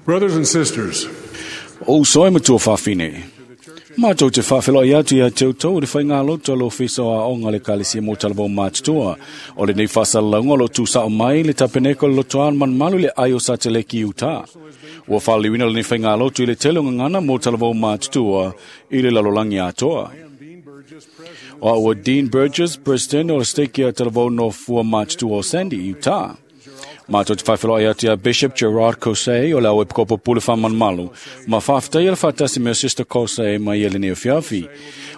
Brothers and sisters, O uso e matua fa'afine. Matou te fa'afeloai atu ia te outou i le faigāloto a le Ofisa o Aoga o le Ekalesia mo Talavou Matutua. O lenei fa'asalalauga o lo'o tusa'o mai le tapeneko o le lotoa malumalu i le ai o Sateleki i Utā. Ua fa'aliuina lenei faigāloto i le tele o gagana mo Talavou Matutua i le lalolagi atoa. O a'u ua Dean Burgess, President o le Stake ia Talavou Nofua Matutua o Sandy, Utah. Matou te fa'afeloai atu iā Bishop Gerard Cosey o le au epikopo pule fa'amalumalu ma fa'afetaia le fa'atasi mea Sister Cosey mai ia lenei afiafi.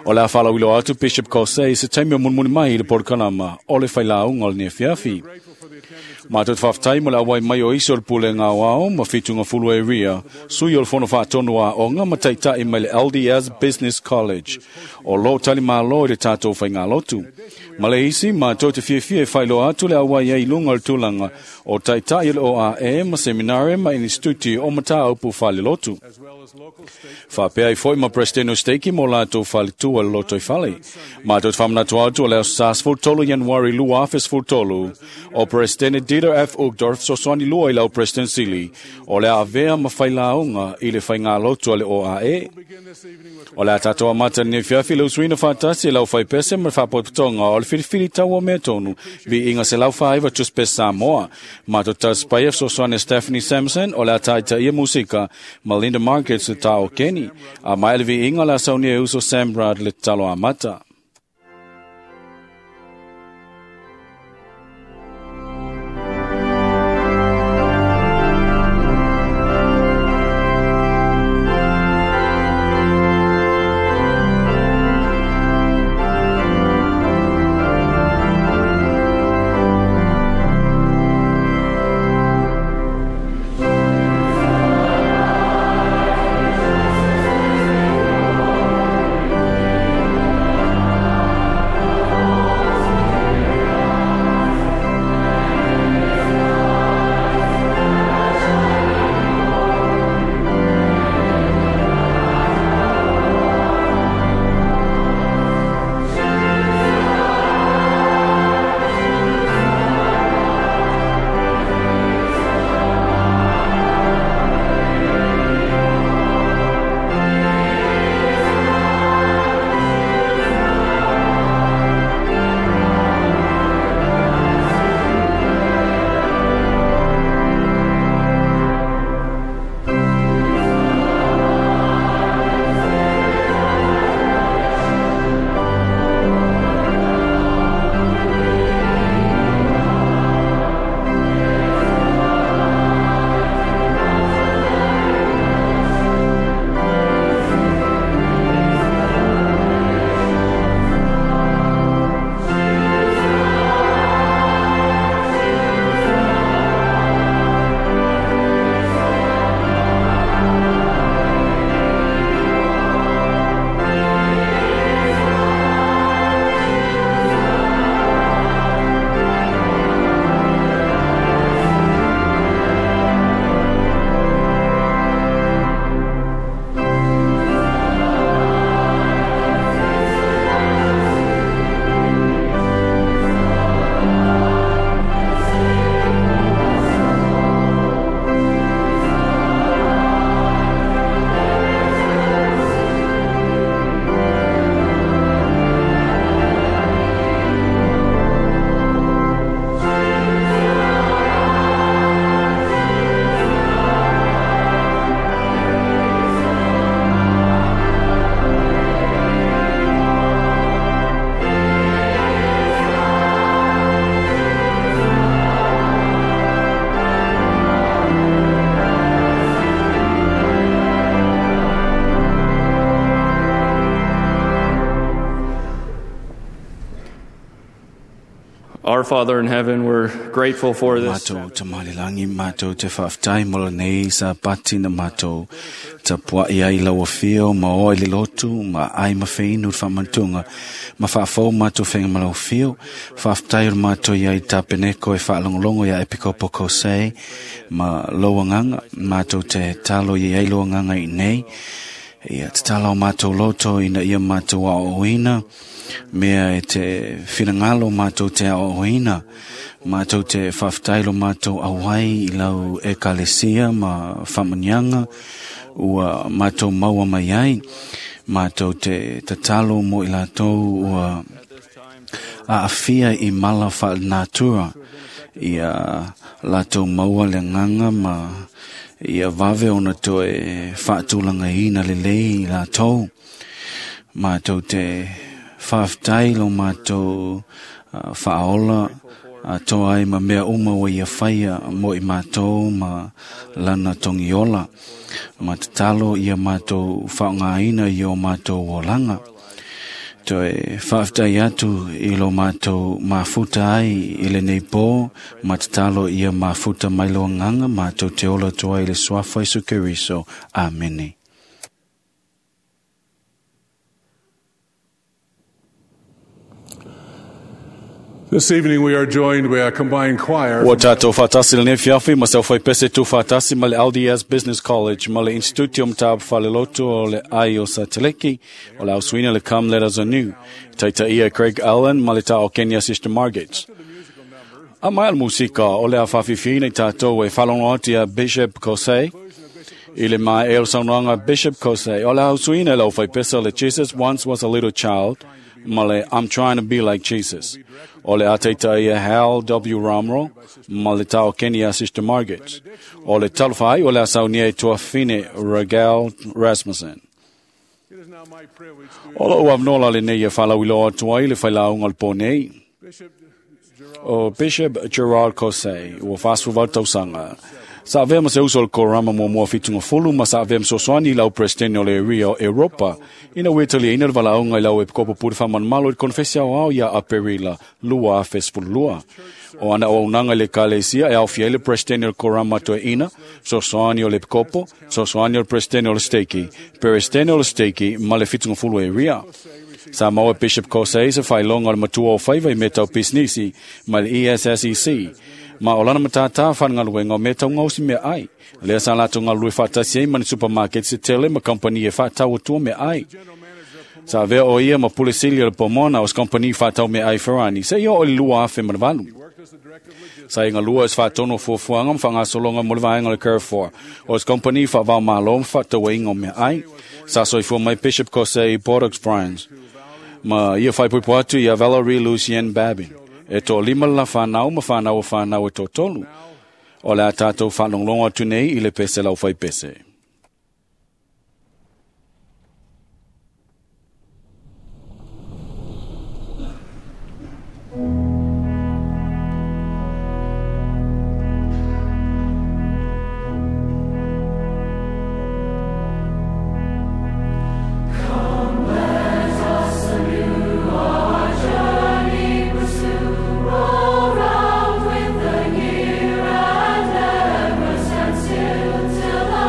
O le a fa'alauiloa atu Bishop Cosey i se taimi o mulimuli mai i le polokalama o le failauga o lenei afiafi. Matou te fa'afetai mo le auai mai o isi o le pulega aoao ma fitugafulu area, sui o le fono fa'atonu a'oga ma ta'ita'i mai le LDS Business College. O lō talimālō i le tatou faigālotu. Ma le isi, matou te fiafia e fa'ailoa atu le auai ai i luga o le tulaga o ta'ita'i o le OAE ma seminare ma inistitute o matāupu fa'alelotu. Fa'apea ai fo'i ma Presidente o Steiki mo latou faletua le loto i fale. Matou te fa'amanatu atu o le aso sa 13 Ianuari 2013 o Presidente Dieter F. Uchtdorf fesoasoani lua i lau President Sili o le a avea ma failauga i le faigālotu a le OAE. O le a tatou amata lenei afiafi le usuina fa'atasi e lau faipese ma le fa'apotopotoga o le filifili tau o mea tonu viiga 149 tuspes Samoa. Matou tasipaia fesoasoani a Stephanie Sampson o le a ta'itaia musika ma Linda Markets le tā o Keni. A mai le viiga o le a saunia e uso Sam Rudd le tatalo amata. Our Father in heaven, we're grateful for this. Matou tamalilangi matou te fa'afetai mo lenei sapati na matou tapua'i ai lau afio ma oa i le lotu ma ai ma feinu le fa'amanatuga ma fa'afou matou fega ma lau afio. Fa'afetai o le matou iai tapeneko e fa'alogologo iā Epikopo Kosei ma lou agaga matou te talo i ai lou agaga i nei. Ia tatala o matou loto ina ia matou a'oa'oina Mea e te finagalo mātou te aoaoina, mātou te whawhitailo mātou awai i lau ekalesia ma whamunianga, ua mātou maua mai ai, mātou te tatalo mo i lātou ua aafia i mala whaanatura, ia lātou maua le nganga ma ia vave ona toe whaatulanga ina lelei i lātou. Mātou te whawhitai lo mātou whaola toa ai ma mea uma wa ia whaia mo i mātou ma lana tongiola. Ma tatalo ia mātou whaongaina i o mātou olanga. Toe whawhitai atu i lo mātou mafuta ai i le nei pō, ma tatalo ia mafuta mai lo nganga mātou te ola toa i le suafa Isu Keriso. Amene. This evening we are joined by a combined choir. Ua tātou whātasi le fiafi, ma seu whaipese tū whātasi ma le LDS Business College, ma le Institute o Matapu Whaleloto o le ai o Sateleki, o le ausuina le Come Let Us Anew. Taita ia Craig Allen, ma le tā o Kenya Sister Margaret. A mai al musika o le a whawhiwhina i tātou e whalongo atu a Bishop Kosei, i le mai e o saunoanga Bishop Kosei, o le ausuina le au whaipese le Jesus Once Was a Little Child, ma le I'm Trying to Be Like Jesus. O le ateita ia Hal W. Romrell, ma le tau Kenya Sister Margaret. O le talofai o le asaunia i tuafine Regal Rasmussen. It is now my privilege to O lo uavnola le nei e whalawilo atu ai le whailaunga le pōnei. Bishop Gerard O Bishop Gerard Kosei, ua whāsu vau tausanga. Sa avea ma se uso le korama mua mua fitunga fulu, ma sa avea ma sosoani lau presidente o le Rio Europa. Ina wetali ina le valaunga i lau e pikopo puri whaman malo i konfesi au au ia a Perila, lua a fesfulu lua. O ana o unanga le kalesia e au fia le presidente o le korama toe ina, sosoani o le pikopo, sosoani o le presidente o le steki, presidente o le steki ma le fitunga fulu e Ria. Sa maua Bishop Kosei sa whailonga o le matua o whaiva i metau pisnisi ma le ESSEC. Ma o lana matata whangaluenga o metau ngausi mea ai. Lea sa lato ngā lui whātasi ai mani supermarket se tele ma kompani e whātau atua mea ai. Sa vea o ia ma pule sili o le pomona o se kompani whātau mea ai Ferrani. Se ia o le lua afe manavalu. worked as the director of logistics. Sa inga lua es whātono fuafuanga ma whangasolonga mo le vaenga le Carrefour. O se kompani whaavao malo ma whātau inga o mea ai. Sa soifua mai Bishop Kosei Port-au-Prince. Ma ia whaipuipu atu ia Valerie Lucien Babin. E tō lima la whanau ma whanau o whanau e tō tolu. O le a tātou whanonglongo atu nei i le pese lau whai pese. Roll round with the year and never stand still till the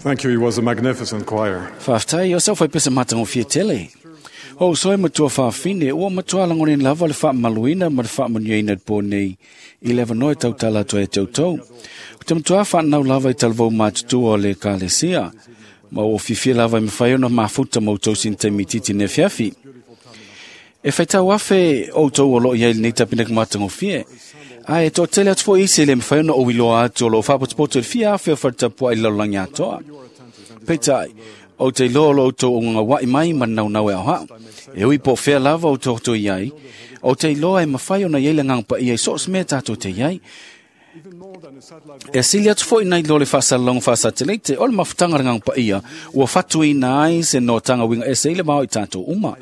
Thank you. It was a magnificent choir. Faafetai o sau faipese matagofie tele. O uso e matua faafine, ua matua lagonaina lava le faamamaluina ma le faamanuiaina i le po nei i le avanoa e tautala atu ai ia te outou. Ou te matua faanau lava i talavou matutua o le Ekalesia, ma ua fiafia lava e mafai ona mafuta ma outou sina taimi itiiti i lenei afiafi. E faitau afe outou o loo i ai i lenei tapeneka matagofie, ae toatele atu foi isi e le mafai ona ou iloa atu o loo faapotopoto i le fia afe o faletapuai i le lalolagi atoa. Peitai, ou te iloa o lo outou ogaua'i mai ma le naunau e aoao. E ui po o fea lava o tatou i ai, ou te iloa e mafai ona i ai le Agaga Paia i so o se mea tatou te i ai. E sili atu foi nai lo le faasalalauga faasateleite, o le mafutaga a le Agaga Paia ua fatuina ai se noataga uiga ese i le vao i tatou uma.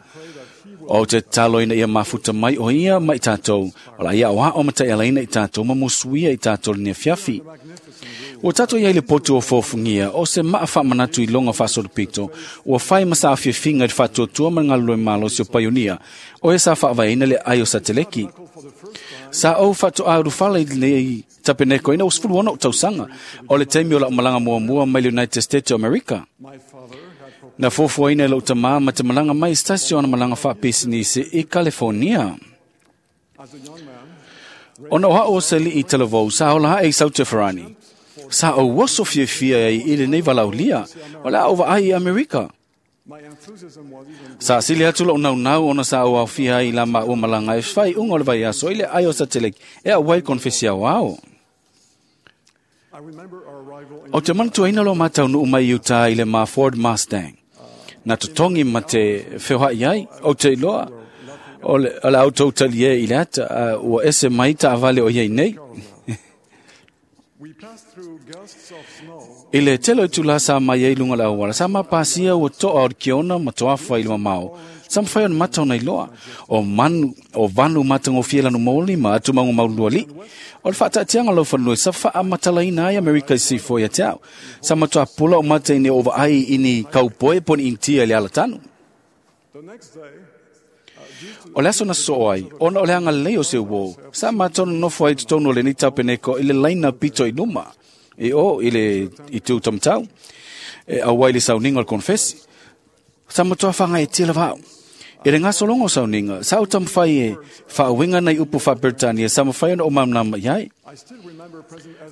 Ou te tatalo ina ia mafuta mai o ia ma i tatou, o la ia aoao ma taialaina i tatou ma musuia i tatou i lenei afiafi. Ua tatou i ai i le potu o fofogia, o se maa faamanatu i loga faasolopito, ua fai ma saafiafiga i le faatuatua ma le galulue malosi o paionia, o e sa faavaeina le ai o sateleki. Sa ou faatoa ulufala i lenei tapeneko ina ua 16 ou tausaga, o le taimi o lau malaga muamua mai le United States o Amerika. Na fuafuaina e lou tamā ma te malaga mai i se tasi o ana malaga faapisinisi i Kalifonia. Ona o a'u o se ali'i talavou sa ola a'e i Sautefarani, sa ou oso fiafia ai i lenei valaaulia, o le a ou vaai i Amerika. Sa sili atu lou naunau ona sa ou aofia ai i la maua malaga e faaiuga o le vaiaso i le ai o sateleki e auai konefesi aoao. Ou te manatuaina lo mataunuu mai i Utah i le ma Ford Mustang. Na totogi ma te feoha'i ai, ou te iloa, o le, o le a outou talie i le ata, ua ese mai taavale o iai nei. I le tele o itulā sa mai ai i luga o le auala, sa mapasia ua to'a o le kiona ma toafa i le mamao, sa mafai ona mata ona iloa, o manu, o vanu matagofie lanu moli ma atumauga maulualii. O le faataatiaga o laufanua sa faamatalaina ai Amerika i sifo ia te au. Sa matua pula o mata i ni o vaai i ni kaupoe po ni Initia i le alatanu. O le aso na sosoo ai, ona o le agalelei o se uō, sa matou nonofo ai i totonu o lenei tapeneko i le laina pito i luma, i o i le itu taumatau, e auai i le sauniga o le konefesi. Sa matua whagaetia lava au. I le gasologa o sauniga, sa ou taumafai e faauiga nai upu faa-Peretania sa mafai ona ou malamalama i ai.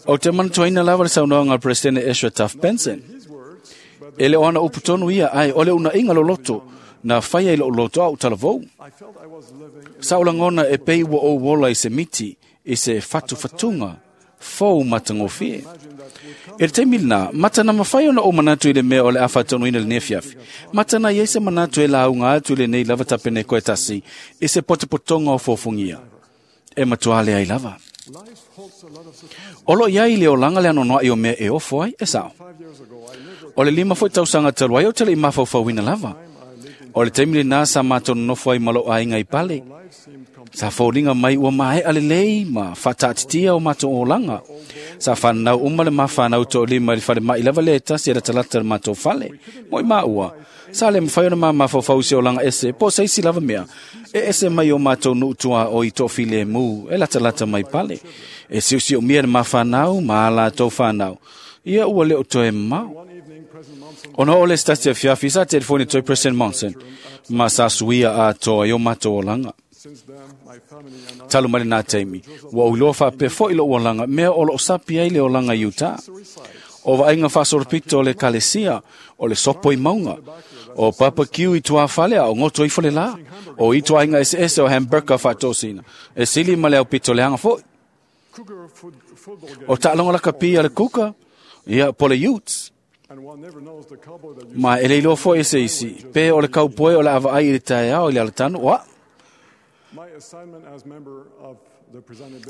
Ou te manatuaina lava le saunoaga a le Peresetene Ezra Taft Benson. E le o ana upu tonu ia, ae o le unaiga loloto na faia i lou loto a ou talavou. Sa ou lagona e pei ua ou ola i se miti, i se fatufatuga fou matagofie. I le taimi lenā, matana mafai ona ou manatu i le mea o le a faataunuina i lenei afiafi. Matana i ai se manatu e lauga atu i lenei lava tapeneko e tasi i se potopotoga o fofogia. E matua leai lava. O lo o i ai le olaga le anoanoai o mea e ofo ai, e sao. O le 5 foi tausaga talu ai ou te le i mafaufauina lava. O le taimi lenā sa matou nonofo ai ma lou aiga i Pale. Sa foliga mai ua maea lelei ma faataatitia o matou olaga. Sa fanau uma le ma fanau toalima i le falemai lava lea e tasi e latalata i le matou fale. Mo i maua, sa le mafai ona ma mafaufau i se olaga ese po o se isi lava mea e ese mai o matou nuu tuaoi toafilemu e latalata mai Pale. E siosiomia le ma fanau ma a latou fanau. Ia ua le o toe mamao. Ona oo le se tasi afiafi, sa telefoni atu ai President Monson ma sa suia atoa i o matou olaga. Talu mai lenā taimi, ua ou iloa faapea foi lou olaga, mea o loo sapi ai le olaga i Utah. O vaaiga faasolopito o le Ekalesia, o le sopo i mauga, o barbecue i tuafale a o goto ifo le lā, o ituaiga eseese o hamburger faatosina, e sili ma le aupito leaga foi. O taaloga lakapi a le Cougar, ia, po le Utes. Ma e le iloa foi e se isi, pe o le kaupoe o le a vaai i le taeao i le alatanu, o a'u.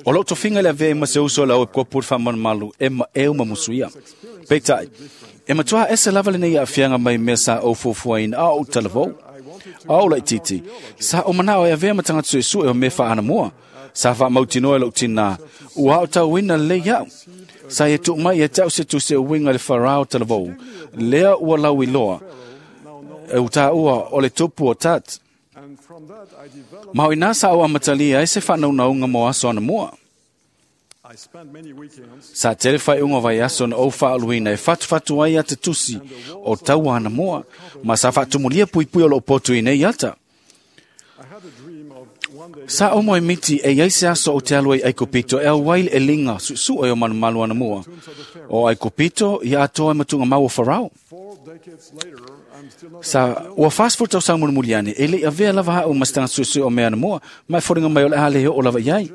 O lou tofiga i le avea ai ma se uso o le au epikopo i le faamalumalu e maeu ma musuia. Peitai, e matua ese lava lenei aafiaga mai mea sa ou fuafuaina a o ou talavou. A ou laitiiti, sa ou manao e avea ma tagata suesue o mea faaanamua. Sa faamautinoa e lou tinā, ua aotauina lelei iaʻu. Sa ia tuu mai ia te au se tusi e uiga i le Farao talavou, lea ua lauiloa, e utaua o le tupu o Tut. Ma o i inā sa ou amatalia ai se faanaunauga mo aso anamua. Sa tele whaiunga vai aso na o whaaluina e whatu ai ata tusi o taua ana moa, ma sa whaatumulia pui pui o lo potu i nei ata. Sa o moe miti e iai se aso o te alu ai Aikopito e au waile e linga susu e o manumalu ana mua. O Aikopito i atoa e matunga mau o Farao. Sa ua fast tau sang mulimuliane e le avea lava hao mastanga susu o mea ana mua, mai foringa mai o le hale o lava iai.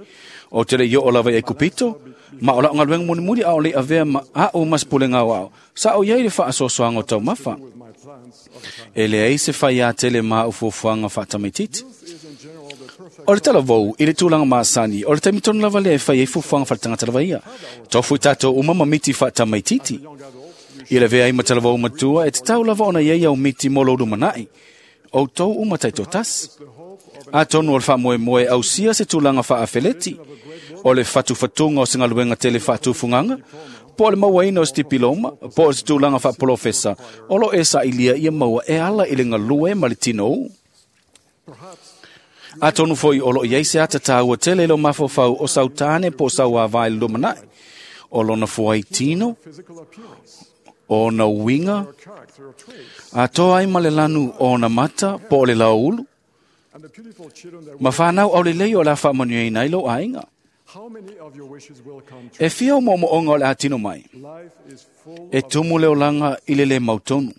O te le i o lava i Aikopito, ma o lau ngaluenga mulimuli a o le avea ma a o maspule ngau ao. Sa o iai le whaasosoanga o tau mafa. E le ei se whai a tele ma o fuafuanga whaatamaititi. O le talavou, i le tūlanga maasani, o le taimitonu lava lea e whai ei fuafuanga whaatangata lava ia. Tofu i tātou uma mamiti whaatamaititi. I le vea i matalavou matua, e te tau lava ona iei au miti mō louru manai. O tau uma taito tasi. A tonu o le whaamoe moe au sia se tūlanga whaafeleti. O le whatuwhatunga o se ngaluenga tele whaatufunganga, po o le mauaina o se tipiloma, po o se tūlanga whaapolofesa, o lo e sa ilia ia maua e ala i le ngalue ma le tino u. A tonu foi o lo iei se ata tāua tele lo mafofau o sautane po sau a vai le lumanai. O lona fuai tino, o na uinga, a toa ai ma le lanu o na mata po o le laulu. Ma whanau au le lei o la whaamanuia i lo ainga. E fia o mo'omo'oga o le atino mai. E tumu le olanga i le le mautonu.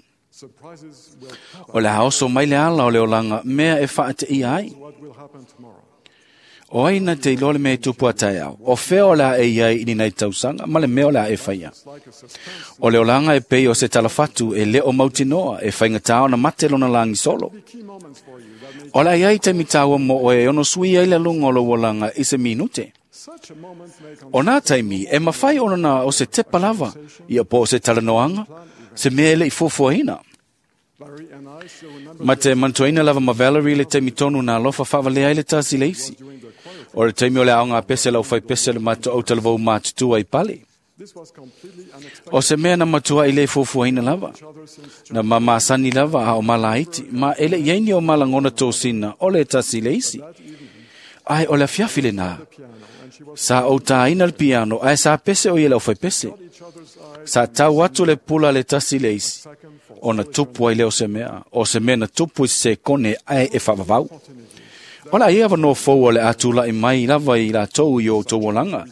O le haoso mai le ala o le olanga mea e whaate ia ai. O ai na te iloa le mea e tupu a taeao. O fea o le a e iai i ni nei tausanga, ma le mea o le a e whaia. O le olanga e pei o se talafatu e leo mautinoa e whaingatao na mate lona langi solo. O le ai te mitaua mo oe ono sui ai le lunga o lo olanga i se minute. O nā taimi, e mawhai ona na o se te palava, ia po o se talanoanga, se mea ele i fuafuaina. Ma te mantuaina lava ma Valerie le taimi tonu nā lofa whawalea ai le tasi leisi. O le taimi o le aonga pese lau whai pese le mato au talavou mātutua i pale. O se mea na matua i le fuafuaina lava. Na mamasani lava a o malaiti, ma ele iaini o malangona tōsina o le tasi leisi. Ai o le afiafi le nā. Sa o tāina le piano, ai sa pese o ia lau whai pese. Sa tau atu le pula le tasi leisi. O na tupu ai le o se mea. O se mea na tupu i se kone ai e whawawau. Ola ia wanoa fōua le atula i mai lava i la tau i o tauolanga.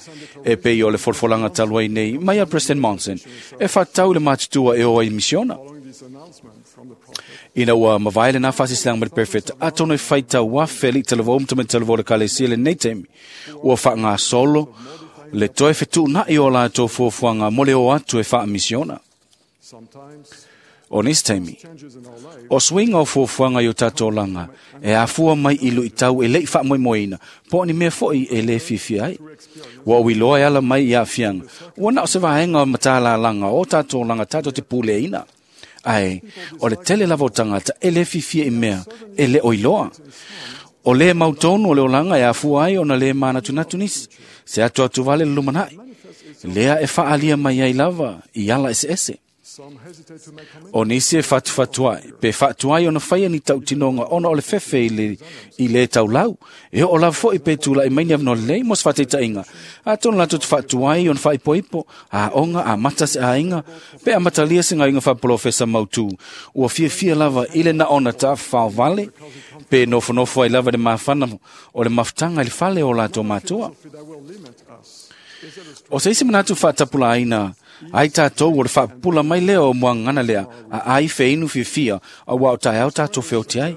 E pei o le folfolanga taluai nei, mai a President Monson, e whatau le mātutua e o ai misiona. Ina ua mavaile nā whasisilang mai perfect, a tono e whaita wa feli talavou mtame talavou le kalesia le nei taimi. Ua wha ngā solo, le toe whetu na i o la tō fuafuanga mo le o atu e wha misiona. O nisi taimi, o suinga o fuafuanga i o tātou langa, e afua mai i lui tau e lei whaamoemoeina, po ni mea foi e le fifi ai. Ua uiloa e ala mai i afianga, ua nao se vaenga o matala langa o tātou langa tātou te pūleina. Ai, o le tele lava o tangata e le fifia i mea, e le oiloa. O le mautonu o le olanga e afua ai o na le mānatunatu nisi, se atu atu vale le lumanai. Lea e whaalia mai ai lava i ala ese ese. O nisi e whatuwhatuai, pe whatuai ona whaia ni tautinonga ona o le fefe i le taulau. E o la foi pe tula i maini avno lei mos whateitainga. A tonu latu te whatuai ona whaipoipo, a onga, a mata se ainga, pe a matalia se ngainga whapolofesa mautu. Ua fia fia lava i le na ona ta whaovale, pe nofonofo ai lava le mawhana o le mafutanga i le whale o lātou mātua. O se isi manatu whaatapula aina, ai tātou o le whaapula mai leo o muangana lea, a ai wheinu whiwhia, a wao tae au tātou whioti ai.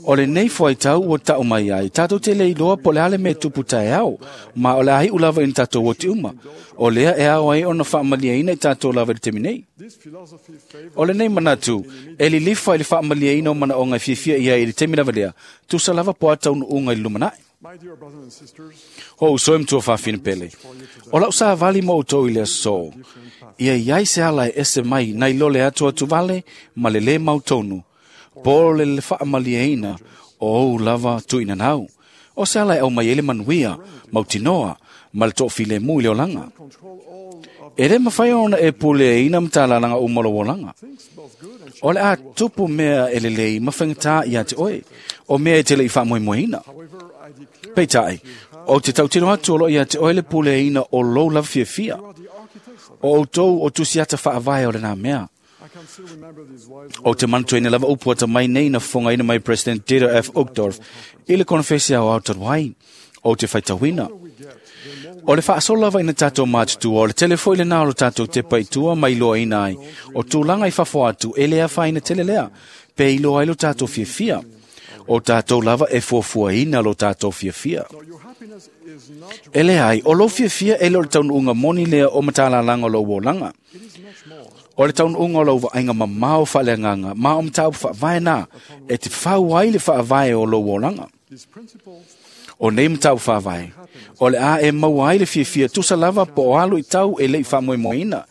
O le nei fuai tau o tau mai ai, tātou te lei loa po le ale me tupu tae au, ma o le ahi ulava in tātou o te uma. O lea e au ai ona whaamalia ina i tātou lava i te temi nei. O le nei manatu, e lilifa i le whaamalia ina o mana o ngai whiwhia ia i le temi lava lea, tusa lava po atau nuunga i lumanai. O uso e mtua whawhina pele. O lau sa vali mo utou i lea so. Ia iai se ala e ese mai nai lole atu atu vale ma le le mautonu. Po le le whaamalia ina o ou lava tuina nau. O se ala e au mai ele manuia, mautinoa, Ma le toʻafilemu i le olaga. E lē mafai ona e puleaina matalalaga uma lou olaga. O le a tupu mea e lelei ma faigatā iā te oe, o mea e te leʻi faamoemoeina. Peitai, o te tautino atu o loo iā te oe le puleaina o lou lava fiafia. O outou o tusiata faavae o lenā mea. O te manatuaina lava upu atamai nei na fofogaina mai President Dieter F. Uchtdorf i le konofesi aoao talu ai. O te faitauina. O le faasolo lava ina tatou matutua, o le tele foi lenā o lo tatou tepa i tua ma iloaina ai, o tulaga i fafo atu e le afaina tele lea, pe iloa ai lo tatou fiafia. O tatou lava e fuafuaina lo tatou fiafia. E leai, o lou fiafia e le o le taunuuga moni lea o matalalaga o lou olaga. O le taunuuga o lau vaaiga mamao faaleagaga ma o mataupu faavae na e te fau ai le faavae o lou olaga. O nei mataupu faavae, o le a e maua ai le fiafia tusa lava po o alu i tau e leʻi faamoemoeina.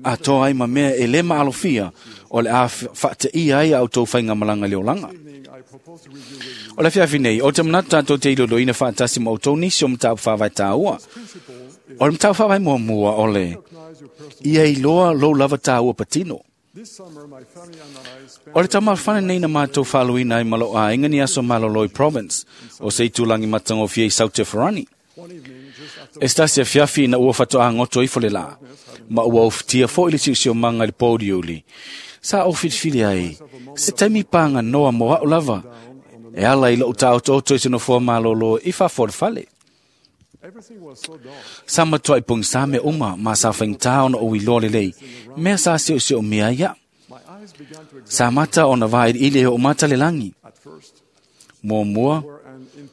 Atoa ai ma mea e lē maalofia o le a faateia ai a outou faigamalaga i le olaga. O le afiafi nei, o te manatu tatou te iloiloina faatasi ma outou nisi o mataupu faavae tāua. O le mataupu faavae muamua o le ia iloa lou lava tāua patino. O le taumalofana nei na matou faaluina ai ma lou aiga ni aso malolo i Province, o se itulagi matagofie i South Tefarani. E se tasi afiafi ina ua faatoagoto ifo le lā, ma ua ofitia foi le siosiomaga i le pouliuli. Sa ou filifili ai, se taimi paganoa mo aʻu lava, e ala i loʻu taotooto i se nofoa malōlō i fafo o le fale. Sa matuaʻi pogisā mea uma ma sa faigata ona ou iloa lelei, mea sa seoseomia ai aʻu. Sa mata ona vailiili e hoomata le lagi. Muamua,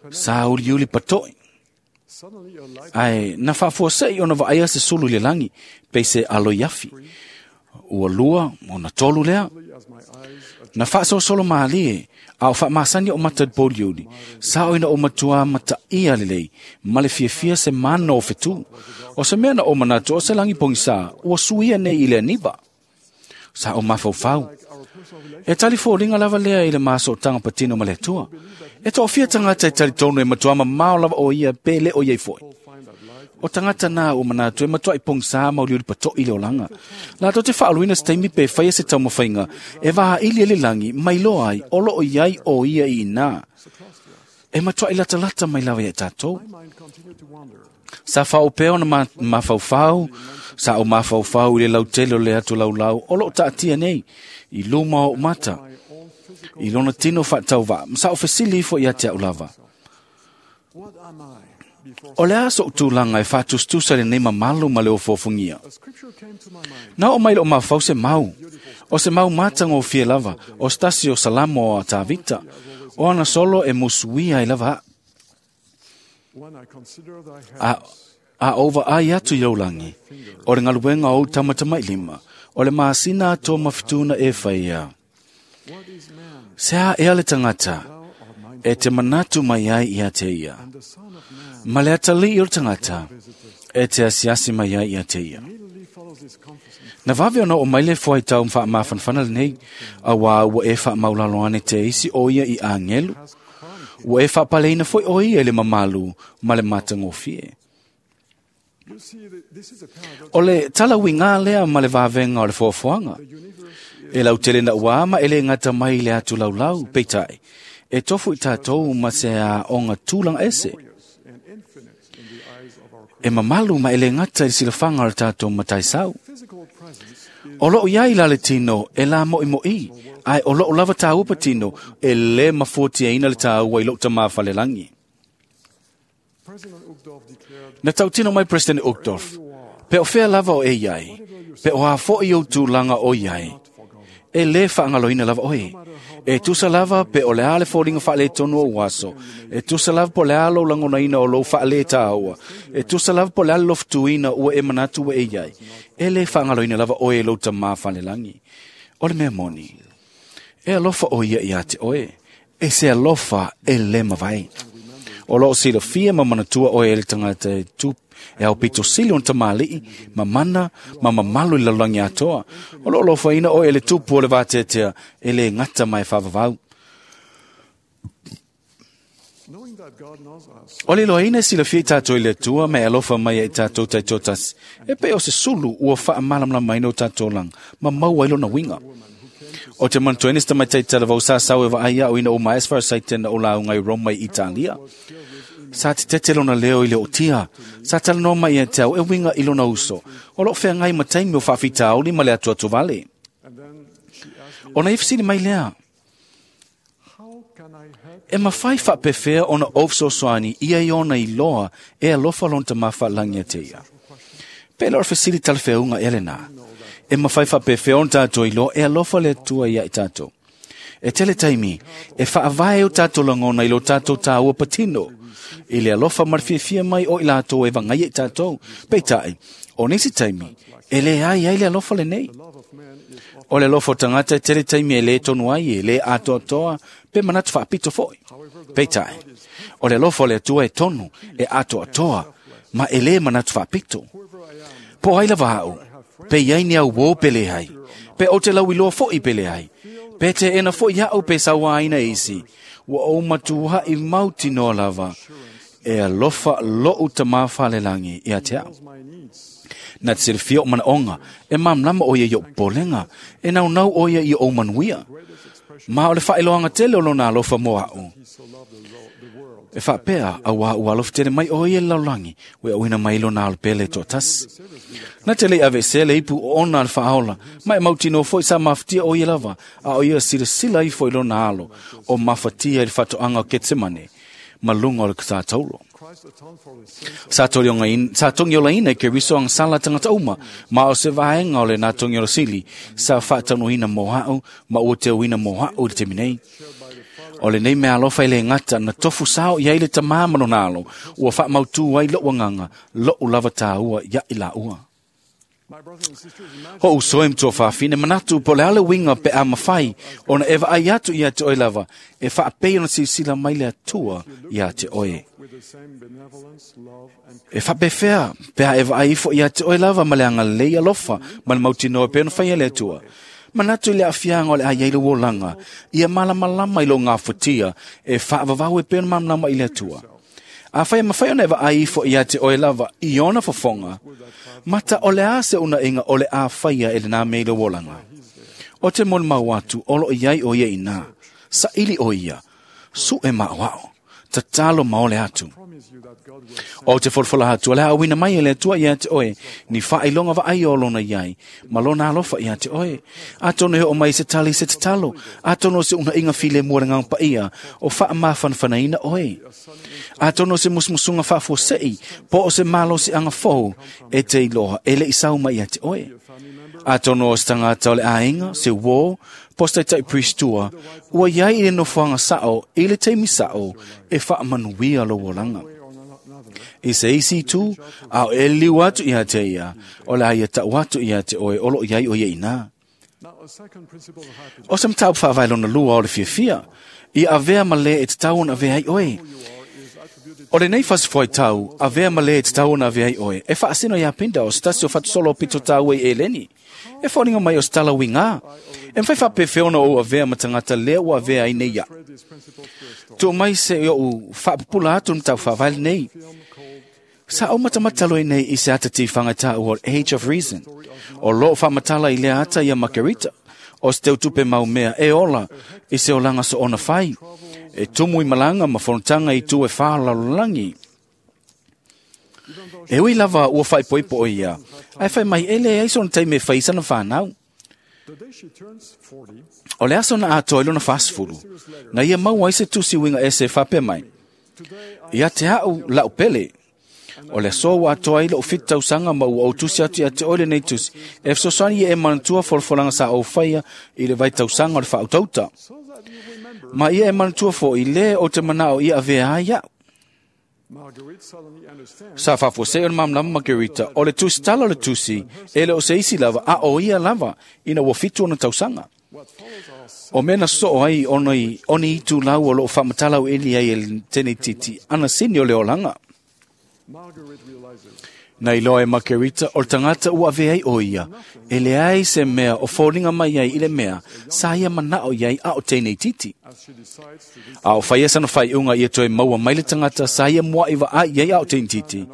sa uliuli patoʻi. Ae na faafuaseʻi ona vaaia se sulu i le lagi, pei se aloiafi. Ua lua, ona tolu lea. Na faasolosolo mālie, a o faamasani o mata i le pouliuli, sa o ina ou matuā mataia lelei, ma le fiafia se mana o fetū. O se mea na ou manatu o se lagi pogisā, ua suia nei i le aniva. Sa o mafaufau. E tali foliga lava lea i le masootaga patino ma le Atua. E toafia tagata e talitonu e matuā mamao lava o ia pe le o iai foi. O tagata na ua manatu e matuaʻi pogisā ma uliuli patoʻi le olaga. Latou te faaluina se taimi pe faia se taumafaiga e vaili ai le lagi ma iloa ai o loo iai o ia i inā. E matuaʻi latalata mai lava ia tatou. Sa faaopea ona mafaufau, sa o mafaufau i le lautele o le atu laulau o loo taatia nei i luma o mata, i lona tino faatauvaa, ma sa o fesili ifo ia te au lava. O le a soʻu tulaga e faatusatusa lenei mamalu ma le ofofogia. Na oo mai loo mafau se mau, o se mau matagofie lava, o se tasi o Salamo a Tavita, o ana solo e musuia ai lava aʻu. A ou vaai atu i lou lagi, o le galuega o ou tamatamailima, o le masina atoa ma fetuna e faia. Se a ea le tagata, e te manatu mai ai ia te ia. Ma le atalii o le tagata, e te asiasi mai ai ia te ia. Na vave ona oo mai le fuaitau faamafanafana lenei, auā ua e faamaulalo ane te isi o ia i agelu. Ua e faapaleina foi o ia i le mamalu ma le matagofie. O le talauigā lea ma le vavega o le foafoaga. E lautele naʻuā ma e lē gata mai i le atu laulau, peitai, e tofu i tatou ma se aoga tulaga ese. E mamalu ma e lē gata i le silafaga o le tatou mataisau. O loo iai la le tino e la moʻimoʻi, ae o loo lava tāua patino e lē mafuatiaina le tāua i lou tamā falelagi. Na tautino mai President Uchtdorf, pe o fea lava o e iai, pe o afoʻi ou tulaga o iai, e lē faagaloina lava oe. E tusa lava pe o le a le foliga faaletonu o ou aso, e tusa lava po o le a lou lagonaina o lou faalētāua, e tusa lava po o le a le lofutuina ua e manatu ua e iai, e lē faagaloina lava oe e lou tamā falelagi. O le mea moni, e alofa o ia iā te oe, e se alofa e lē mavae. O loo silafia ma manatua oe e le tagata e tu e au pito sili ona tamalii, ma mana, ma mamalu i le lalolagi atoa. O loo alofaina oe e le tupu o le vateatea e lē gata ma e faavavau. O le iloaina e silafia i tatou i le Atua ma e alofa mai ai tatou taitoatasi, e pei o se sulu ua faamalamalamaina o tatou olaga ma maua ai lona uiga. O te manatuaina se tamaitai talavou sa sau e vaai a'u ina ua maea se farasaite na ou lauga i Roma i Italia. Sa tetete lona leo i le o'otia, sa talanoa mai ia te au e uiga i lona uso, o lo'o feagai ma taimi o faafitauli ma le atuatuvale. Ona ia fesili mai lea, e mafai faapefea ona ou fesoasoani ia i ona iloa e alofa lona Tamā faalagi ia te ia. Pe le o le fesili talafeauga ea lenā. E mafai faapefea ona tatou iloa e alofa le Atua ia i tatou. E tele taimi, e faavae o tatou lagona i lo tatou tāua patino, i le alofa ma le fiafia mai o i latou e vagaia i tatou. Peitai, o nisi taimi, e leai ai le alofa lenei. O le alofa o tagata e tele taimi e le tonu ai, e le atoatoa, pe manatu faapito foi. Peitai, o le alofa o le Atua e tonu, e atoatoa, ma e le manatu faapito. Po ai lava a'u, pe iai ni au uō pe leai, pe ou te lauiloa fo'i pe leai, pe teena fo'i a'u pe sauāina e isi, ua ou matua'i mautinoa lava, e alofa lo'u Tamā faalelagi ia te a'u. Na te silafia o manaoga, e malamalama o ia i o'u popolega, e naunau o ia i ou manuia. Ma o le faailoaga tele o lona alofa mo a'u. E faapea, auā ua alofa tele mai o ia i le lalolagi, ua auina mai lona alo pele toatasi. Na te le'i aveesea le ipu oona a le faaola, ma e mautinoa foi sa mafatia o ia lava, a o ia silasila ifo i lona alo, o mafatia i le faatoaga o Ketsemane, ma luga o le katā-tauro. Sa togiolaina i Keriso agasala tagata uma, ma o se vaega o lenā togiola sili, sa faataunuina mo a'u, ma ua teuina mo a'u i le taimi nei. O lenei mea alofa e le gata na tofu sao i ai le Tamā ma lona alo, ua faamautū ai lo'u agaga, lo'u lava tāua ia'i laua. O uso e matua fafine, manatu po o le a le uiga pe a mafai ona e vaai atu ia te oe lava, e faapei ona silasila mai le Atua ia te oe. E faapefea pe a e vaai ifo ia te oe lava ma le agalelei alofa ma le mautinoa e pei ona faia le Atua. Manatu i le aafiaga o le a iai lou olaga, ia malamalama i lou gafatia e faavavau e pei ona malamalama i le Atua. Afai e mafai ona e vaai ifo ia te oe lava i ona fofoga, mata o le a se unaʻiga o le a faia e lenā mea i lou olaga. O te molimau atu o loo iai o ia inā, saili o ia, suʻe maʻoaʻo, tatalo ma ole atu. O te folafola atu o le a auina mai e le Atua ia te oe, ni faailoga vaai o lona iai, ma lona alofa ia te oe. Atonu e oo mai se tali se tatalo, atonu o se unaʻiga filemu a le Agaga Paia, o faamafanafanaina oe. Atonu o se musumusuga faafuaseʻi, po o se malosiaga fou, e te iloa e leʻi sau mai ia te oe. Atonu o se tagata o le aiga, se uō, po o se taitaʻi priestua, ua iai i le nofoaga saʻo, i le taimi saʻo, e faamanuia lou olaga. I se isi itu, a o e liu atu ia te ia, o le a ia ta'u atu ia te oe o loo iai o ia inā. O se mataupu faavae lona lua o le fiafia, ia avea ma lē e tatau ona avea ai oe. O lenei fasifuaitau, avea ma lē e tatau ona avea ai oe, e faasino iā Pinda o se tasi o fatusolo o pito tāua i Eleni. E foliga mai o se tala uigā. E mafai faapefea ona ou avea ma tagata lea ua avea ai nei iaʻu. Tuu mai se i oʻu faapupula atu le mataupu faavae lenei. Sa ou matamata loa nei i se ata tifaga e taua o le Age of Reason. O loo faamatala i lea ata ia Margarita, o se teutupe mau mea e ola i se olaga soona fai, e tumu i malaga ma fonotaga i itu e whā lalolagi. E ui lava ua faaipoipo o ia, ae fai mai e leai sona taimi e fai ai sana fanau. O le aso na atoa i lona 40, na ia maua ai se tusi uiga ese e faapea mai, Ia te a'u la'u pele, o le aso ua atoa ai lo'u 7 tausaga ma ua ou tusi atu ia te oe lenei tusi, e fesoasoani ia e manatua folafolaga sa ou faia i le vaitausaga o le faautautaʻ. Ma ia e manatua foʻi lē ou te manao ia avea ai aʻu. Sa faafuasei o le malamalama Margarita, o le tusitala o le tusi, e le o se isi lava, a o ia lava, ina ua 7 ona tausaga. O mea na sosoo ai ona i oni itulau o loo faamatala auiliili ai e le teneititi ana sini o le olaga. Na iloa e Makerita o le tagata ua avea ai o ia, e leai se mea o foliga mai ai i le mea sa ia manao i ai a o teinei titi. A o faia sana faiuga ia toe maua mai le tagata sa ia mua'i vaai i ai a o teinititi,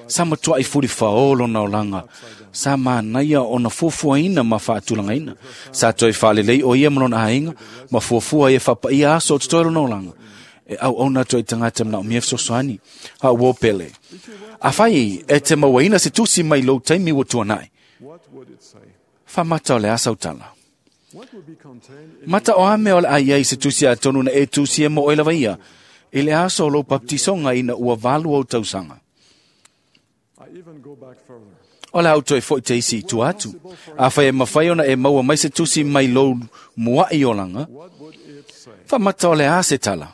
sa matua'i fulifaō lona olaga, sa manaia ona fuafuaina ma faatulagaina. Sa toe faalelei o ia ma lona aiga, ma fuafua ia faapaia aso o totoe lona olaga. E auauna atu ai tagata manaomia fesoasoani, a ua pele. Afai e te mauaina se tusi mai lou taimi ua tuanai, faamata o le a sautala. Mata o a mea o le a i ai se tusi atonu na e tusi e mo oe lava ia, i le aso o lou baptisoga ina ua 8 ou tausaga. O le a ou toe fo'i te isi i tua atu. Afai e mafai ona e maua mai se tusi mai lou mua'i olaga, faamata o le a se tala.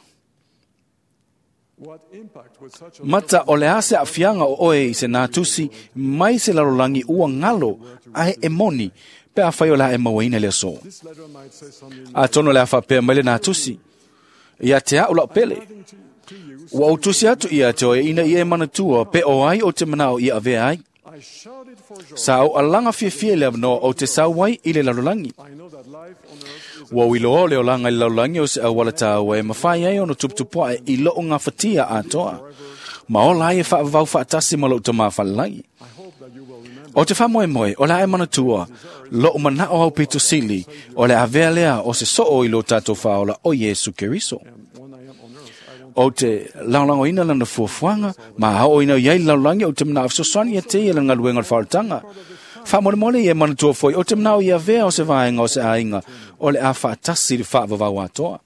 Mata o le a se aafiaga o oe i se nā tusi mai se lalolagi ua galo ae e moni, pe afai o le a e mauaina le aso. Atonu o le a faapea mai le nā tusi, ia te a'u la'u pele. Ua ou tusi atu ia te oe ina ia e manatua pe o ai o te manao ia avea ai. Sa ou alaga fiafia i le avanoa ou te sau ai i le lalolagi. Ua ou iloa o le olaga i le lalolagi o se auala tāua e mafai ai ona tuputupuaʻe i lo'u gafatia atoa, ma ola ai e faavavau faatasi ma lo'u tamā falelagi. O te faamoemoe o le a e manatua lo'u mana'o au pito sili o le avea lea o se soo i lo tatou faaola o Iesu Keriso. O te lagolagoina lana fuafuaga ma aoina i ai le lalolagi o te manao fesoasoani ia te ia le galuega o le faaolataga. Faamolemole ia e manatua foi o te manao ia avea o se vaega o se aiga o le a faatasi le faavavau atoa.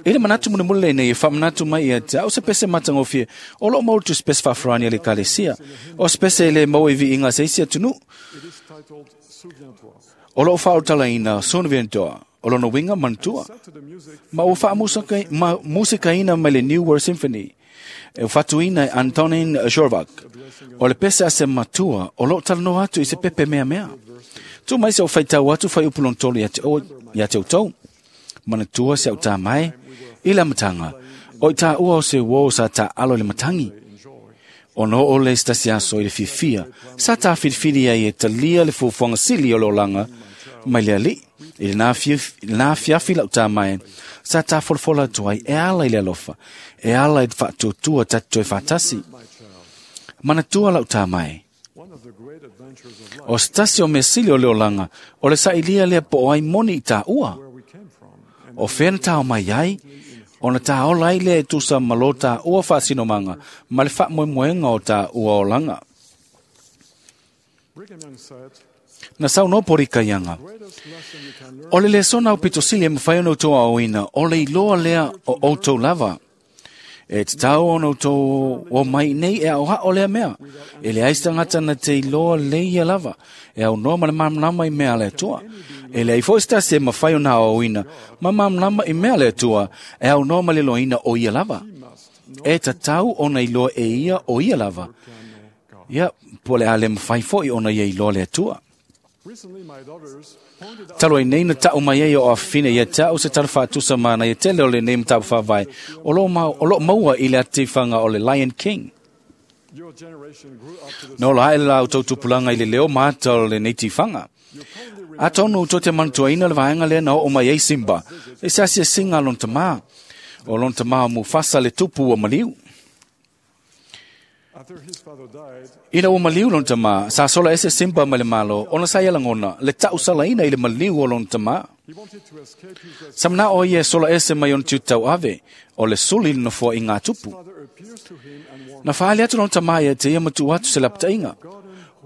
I le manatu mulimuli lenei e faamanatu mai ia te au se pese matagofie o loo maua le tusipese faafarani a le Ekalesia, o se pese e lē maua i viiga se isi atunuu. O loo faaulutalaina Souviens-toi, o lona uiga manatua, ma ua faamusikaina mai le New World Symphony, e fatuina e Antonin Dvorak. O le pese a se matua o loo talanoa atu i se pepe meamea. Tu mai se o faitau atu faiupu lona tolu ia te outou. Manatua se au tā mai i le amataga, o i tāua o se uō sa tā'alo i le matagi. Ona oo le se tasi aso i le fiafia, sa tāfilifili ai e talia le fuafuaga sili o le olaga mai le alii. I lena afiafi la'u tā mai, sa tāfolafola atu ai e ala i le alofa, e ala i le faatuatua tatou toe faatasi. Manatua la'u tā mai, o se tasi o mea sili o le olaga, o le sa'ilia lea po o ai moni i tāua. O fea na tāo mai ai, ona tāola ai lea e tusa ma lo tāua faasinomaga ma le faamoemoega o tāua olaga. Na saunoa Porikaiaga, o le lesona au pitosili e mafai ona outou aoina, o le iloa lea o outou lava. E tatau ona outou o mai nei e aoa'o lea mea. E leai se tagata na te iloa lei ia lava, e aunoa ma le malamalama i mea a le Atua. E leai foi se tasi e mafai ona aoaoina ma malamalama i mea a le Atua, e aunoa ma le iloaina o ia lava. E tatau ona iloa e ia o ia lava. Ia, po o le a le mafai foi ona ia iloa le Atua. Talu ai nei na ta'u mai ai o afafine ia te a'u se tala faatusa manaia tele o lenei mataupu faavae o loo maua i le atifaga o le Lion King. Na ola ae le la outou tupulaga i le leo ma ata o lenei tifaga. Atonu tou te manatuaina le vaega lea na oo mai ai Simba i se asiasiga a lona tamā. O lona tamā o Mufasa le tupu ua maliu. Ina ua maliu lona tamā, sa sola ese Simba mai le Malo ona sa ia lagona le ta'usalaina i le maliu o lona tamā. Sa mana'o ia e sola ese mai ona tiute tauave, o le suli i le nofoa i ngā tupu. Na faaali atu lona tamā ia te ia ma tuu atu se lapataiga.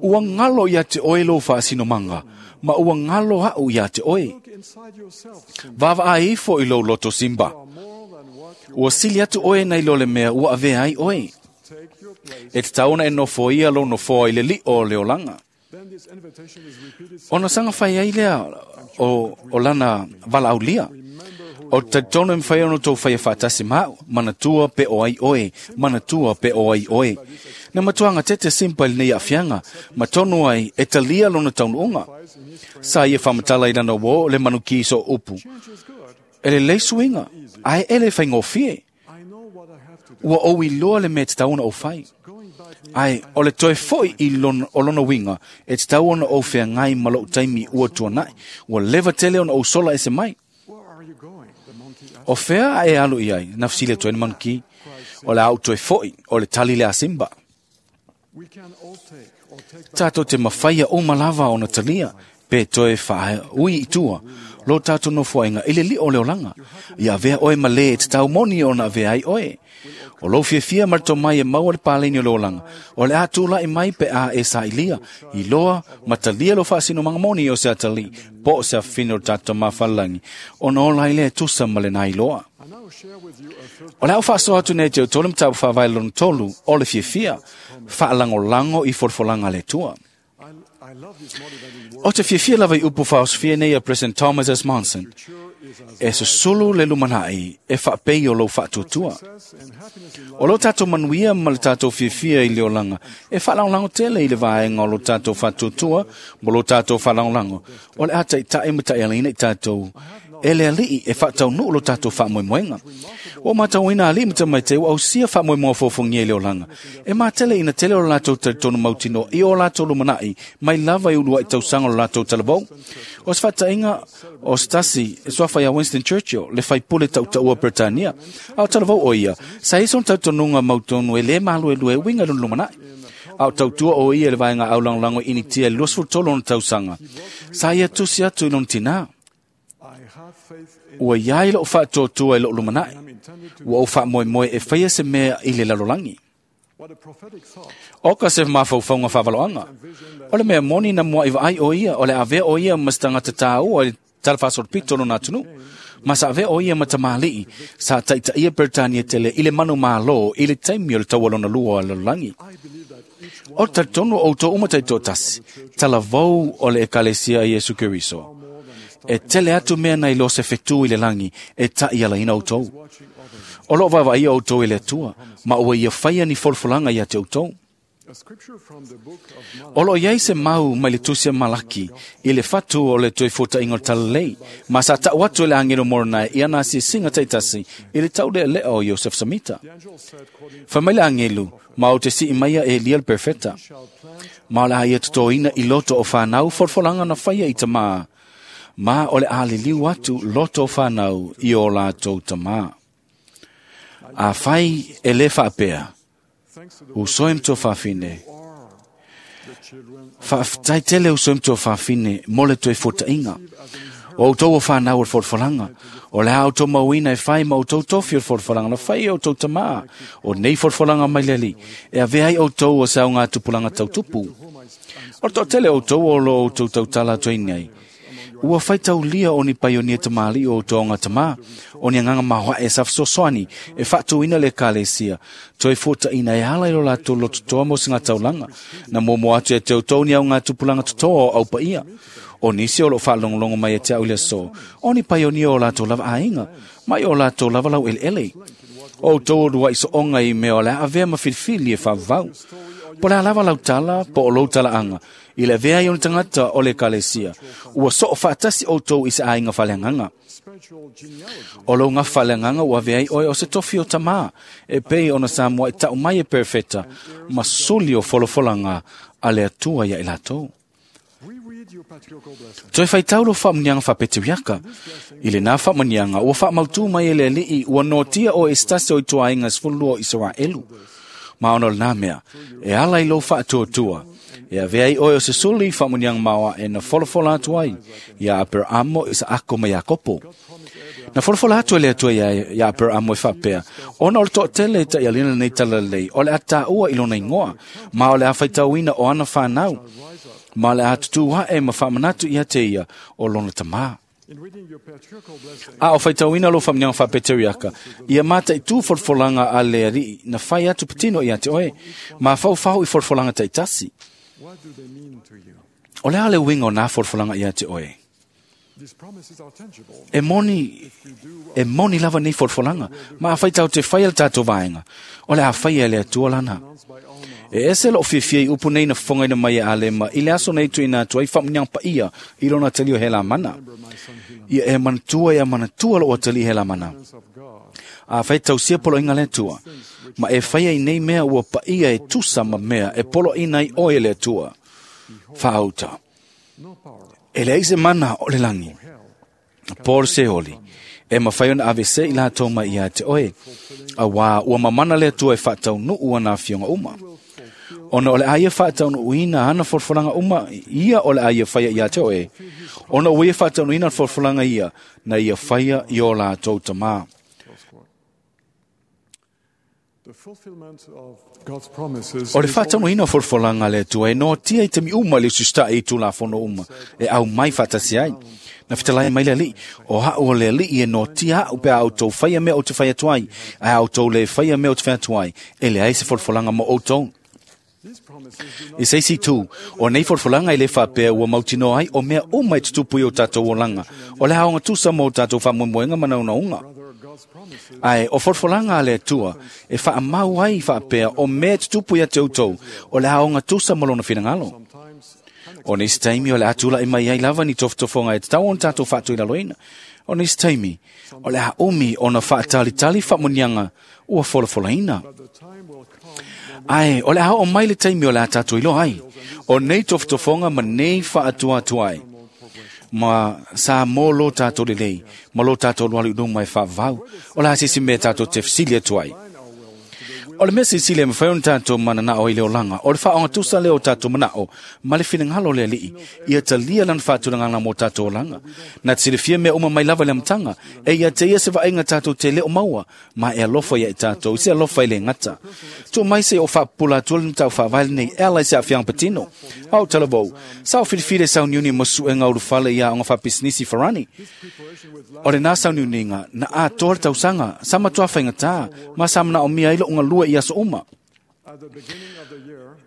Ua galo ia te oe lou faasinomaga, ma ua galo a'u ia te oe. Vaavaai ifo i lou loto Simba. Ua sili atu oe nai lo le mea ua avea ai oe. E tatau ona e nofoia lou nofoa i le li'o o le olaga. Ona saga fai ai lea o lana valaaulia. O te talitonu e mafai ona outou faia faatasi ma a'u, manatua pe o ai oe, manatua pe o ai oe. Na matuaga tete Simba i lenei aafiaga, ma tonu ai e talia lona taunuuga. Sa ia faamatala i lana uō le manuki so upu. E lelei suiga, ae e le faigofie. Ua ou iloa le mea e tatau ona ou fai. Ai, o le toe foi i lona, o lona winga, e te tau ona ou whea ma lou taimi ua tuanai, ua leva tele ona ou sola e se mai. O whea a e alu i ai, nafsile toe na manuki, o le au toe foi, o le tali le a Simba. Tātou te mawhaia o malava o na talia, pe toe whae ui i tua, lo tātou no fuainga i le li o le olanga. Ia vea oe ma le e te tau moni o na vea ai oe. O lo fiafia marto mai e maua le pāleni o le olanga. O le ātū lai mai pe a e sa ilia. I loa, matalia lo whaasino mga moni o se atali, po o se awhino tātou mawhalangi. O na ola i le tusa ma le nai loa. O le au whaaso atu nei te o tolu mtabu whawai lona tolu, o le fiafia, whaalangolango i forfolanga le tua. O te fiafia lava i upu whaosfia nei a President Thomas S. Monson, e susulu le lumanai e whaapei o lou whaatuatua. O lo tātou manuia ma le tātou fiafia i le olanga, e whaalanglango tele i le vaenga o lo tātou whaatuatua, mo lo tātou whaalanglango. O le ata i tae ma tae alina i tātou, e le alii e whaatau nuu lo tātou whaamoemoenga. O mātou ina alii mata mai te au sia whaamoemoa fōfongia i le olanga. E mātele ina tele o lātou talitonu mautino i o lātou lumanai, mai lava i ulua i tausanga o lātou talavou. O se whatainga o Stasi, e soafa ia Winston Churchill, le whaipule tautaua Britannia. Au talavou o ia, sa ison tautonunga mautonu e le malu e lue winga lun lumanai. Au tautua o ia le vaenga au langlango initia 23 ona tausanga. Sa ia tusi atu i lona tina. Ua iai lou whaatoatua i lou lumanai. Ua ou whaamoemoe e whaia se mea i le lalolagi. O ka se mawhauwhaunga whawaloanga. O le mea moni na mua i vaai o ia, o le avea o ia ma se tangata tāua i talawhasoro pito no nā tunu. Ma sa avea o ia ma tamalii, sa taitaia Britannia tele i le manu mālō i le taimi o le taualona lua o le lalolagi. O talitonu o tō uma taitoatasi, talavou o le ekalesia i Iesu Keriso. E tele atu mea nei lo se whetū i le langi, e tai ala ina outou. O lo vaeva ia outou i le atua, ma ua ia whaia ni folfolanga ia te outou. O lo iai se mau mai le tusia Malaki, i le whatu o le toi fota ingo talalei, ma sa tau atu le angelo moronai i ana si singa taitasi, i le tau lea lea o Joseph Samita. Whamai le angelu, ma o te si imaia e lia le perfeta. Ma o le aia tutoina i loto o whanau folfolanga na whaia i tamaa. Ma o le aliliu atu loto whanau i o lātou tamā. A whai e le whaapea, u soem tō whawhine. Whaaftai tele u soem tō whawhine mo le toe fotainga. O outou o whanau o le forfolanga. O le au tō mauina e whai ma o tau tofi o le forfolanga. Na whai o tau tamā. O nei forfolanga mai leli. E ave ai outou o sau ngā tupulanga tautupu. O tō tele outou o lo outou tautala atu nei. Ua whaitaulia o ni paionia tamali o tōnga tamā, o ni anganga mahoa e safsosoani, e whaatuina le kalesia, toi fota ina e ala i lo lātou lo tutoa mo se ngā taulanga, na momo atu e te outou ni au ngā tupulanga tutoa o au paia. O nisi o lo whaalongolongo mai e te au le so, o ni paionia o lātou lava ainga, mai o lātou lava lau ele. O outou o rua iso onga i mea o le avea ma filifili e whavau. Po le alava lau tala, po o lou tala anga, i le vea i ona tangata o le kalesia. Ua so o whaatasi outou i se ainga whaleanganga. O lou ngā whaleanganga ua vea i oe o se tofi o tamā, e pei ona sa mua i tau mai e perfeta, ma suli o folofolanga a le atua ia i lātou. Toi whaitau lo whaamunianga whapetiriaka. I le nā whaamunianga, ua whaamautu mai e le alii, ua notia o e stasi o i tuainga sfulua o Israelu. Ma ono le nā mea, e ala i lo whaatuatua. E avea i oe o se suli whaamunianga maua e na folofola atu ai, ia Aperamo i sa ako ma Iakopo. Na folofola atu e le atua ia Aperamo e whapea, ona o le toa tele ta i alina nei talalei, o le ataua i lona ingoa, ma o le awhaitauina o ana whanau, ma le atutu hae ma whaamanatu ia te ia o lona tamā. A o whaitauina lo whamnianga whapeteriaka, ia mata i tū forfolanga a le ari, na whai atu patino ia te oe, ma whau i forfolanga taitasi. O le ale winga o nā forfolanga ia te oe. E moni lava nei forfolanga, ma a whaitau te whai al tātou vaenga, o le a whai e le atua lana. E ese lo fiafia i upu nei na whangaina mai e alema, i le aso nei tui nā tua i whamuniang pa ia, i lona tali o hela mana. Ia e manatua ia manatua lo o tali hela mana. A fai tausia poloaiga a le Atua, ma e faia i nei mea ua paia e tusa ma mea e poloaina ai oe e le Atua. Faauta. E leai se mana o le lagi, po o le Seoli, e mafai ona aveese i latou mai ia te oe, auā ua mamana le Atua e faataunuu ana afioga uma. Ona o le a ia faataunuuina ana folafolaga uma ia o le a ia faia ia te oe, ona ua ia faataunuuina folafolaga ia na ia faia i o latou tamā. O le faataunuuina o folafolaga a le Atua e noatia i taimi uma i le usiutaʻi i Tulafono uma e aumai faatasi ai. Na fetalai mai le Alii, o a'u o le Alii e noatia a'u pe a outou faia mea ou te fai atu ai, ae a outou lē faia mea ou te fai atu ai, e leai se folafolaga mo outou. I se isi itu, o nei folafolaga e lē faapea ua mautinoa ai o mea uma e tutupu i o tatou olaga, o le aoga tusa mo o tatou faamoemoega ma naunauga. Ae o folafolaga a le Atua e faamau ai faapea o mea e tutupu ia te outou, o le aoga tusa ma lona finagalo. O nisi taimi o le a tulaʻi mai ai lava ni tofotofoga e tatau ona tatou faatuilaloina. O nisi taimi o le a umi ona faatalitali faamuniaga ua folafolaina. Ae o le a oo mai le taimi o le a tatou iloa ai, o nei tofotofoga ma nei faatuatuai, ma sa mo lo tatou lelei, ma lo tatou alualu i luma e faavavau, o le a se isi mea tatou te fesili atu ai. O le mea silisili e mafai ona tatou mananao i le olaga, o le faaogatusa lea o tatou manao ma le finagalo o le Alii, ia talia lana faatulagaga mo tatou olaga. Na te silafia mea uma mai lava i le amataga, e ia te ia se vaaiga tatou te le o maua, ma e alofa ia i tatou, i se alofa e le gata. Tuu mai se i ou faapupula atua le mataupu faavae lenei e ala i se aafiaga patino. A ou talavou, sa ou filifili e sauniuni mo suega ulufale i aoga faapisinisi Farani. O lenā sauniuniga na atoa le tausaga, sa matuā faigata, ma sa manaomia ai loʻu galue i aso uma.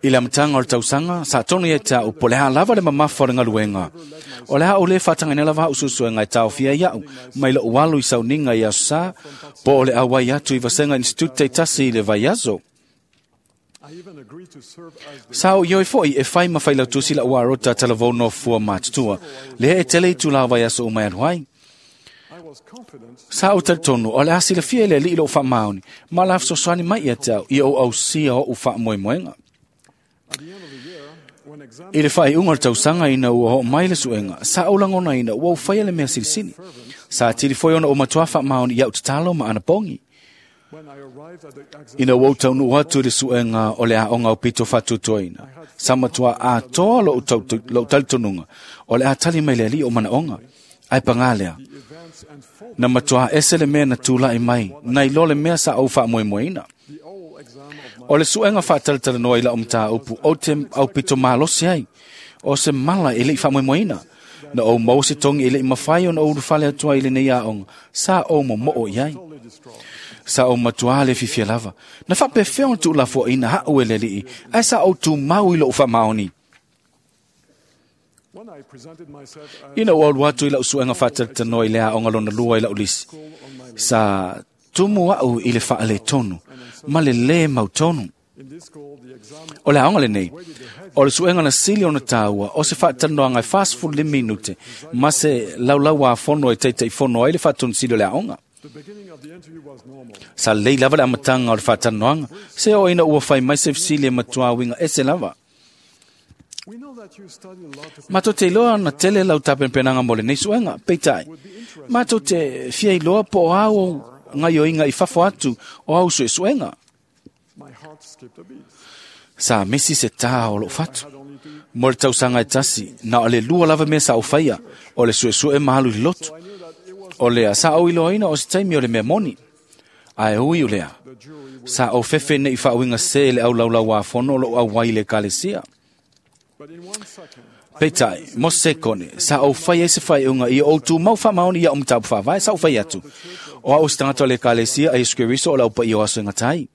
I le amataga o le tausaga, sa tonu ia te a'u po o le a lava le mamafa o le galuega. O le a ou lē faatagaina lava a'u suesuega e taofia ai a'u mai loʻu alu i sauniga i aso Sā, po o le auai atu i vasega institute taitasi i le vaiaso. Sa ou ioe foi e fai ma failautusi la'u arota talavou nofua matutua, lea e tele itulā o vaiaso uma e alu ai. Sa ou talitonu o le a silafia e le Alii loʻu faamaoni, ma o le a fesoasoani mai ia te au ia ou ausia oʻu faamoemoega. I le faaiuga o le tausaga ina ua oo mai le suega, sa ou lagonaina ua ou faia le mea silisili. Sa atili foi ona ou matuā faamaoni i a'u tatalo ma anapogi. Ina ua ou taunuu atu i le suega o le aoga aupito faatuatuaina, sa matuā atoa loʻu talitonuga o le a tali mai le Alii o manaoga. Ae pagā lea, na matuā ese le mea na tulaʻi mai, nai lo le mea sa ou faamoemoeina. O le suega faatalatalanoa i lau mataupu ou te aupito malosi ai, o se mala e leʻi faamoemoeina. Na ou maua se togi e leʻi mafai ona ou ulufale atu ai i lenei aoga, sa ou momoo i ai. Sa ou matuā le fiafia lava. Na faapefea ona tuulafoaina aʻu e le Alii, ae sa ou tumau i loʻu faamaoni. Ina ua alu atu i lau suega faatalatalanoa i le aoga lona lua i lau lisi, sa tumu aʻu i le faaletonu ma le lē mautonu. O le aoga lenei, o le suega na sili ona tāua o se faatalanoaga e 45 minute ma se laulauāfono e taitaifono ai le faatonisili o le aoga. Sa lelei lava le amataga o le faatalanoaga, se oo ina ua fai mai se fesili e matuā uiga ese lava. Matou te iloa ona tele lau tapenapenaga mo lenei suega, peitai, matou te fia iloa po o a ou gaioiga i fafo atu o au suesuega. Sa misi se tā o lou fatu. Mo le tausaga e tasi, na o le lua lava mea sa ou faia, o le suesue ma alu i le lotu. O lea, sa ou iloaina o se taimi o le mea moni. Ae ui o lea, sa ou fefe nei faauiga sē le aulaulauāfono o lou auai i le ekalesia. Peitai, mo se sekone, sa ou fai ai se faaiuga ia ou tumau faamaoni i a'u mataupu faavae, sa ou fai atu, o a'u o se tagata o le Ekalesia a Iesu Keriso o le aupaia o aso e gata ai.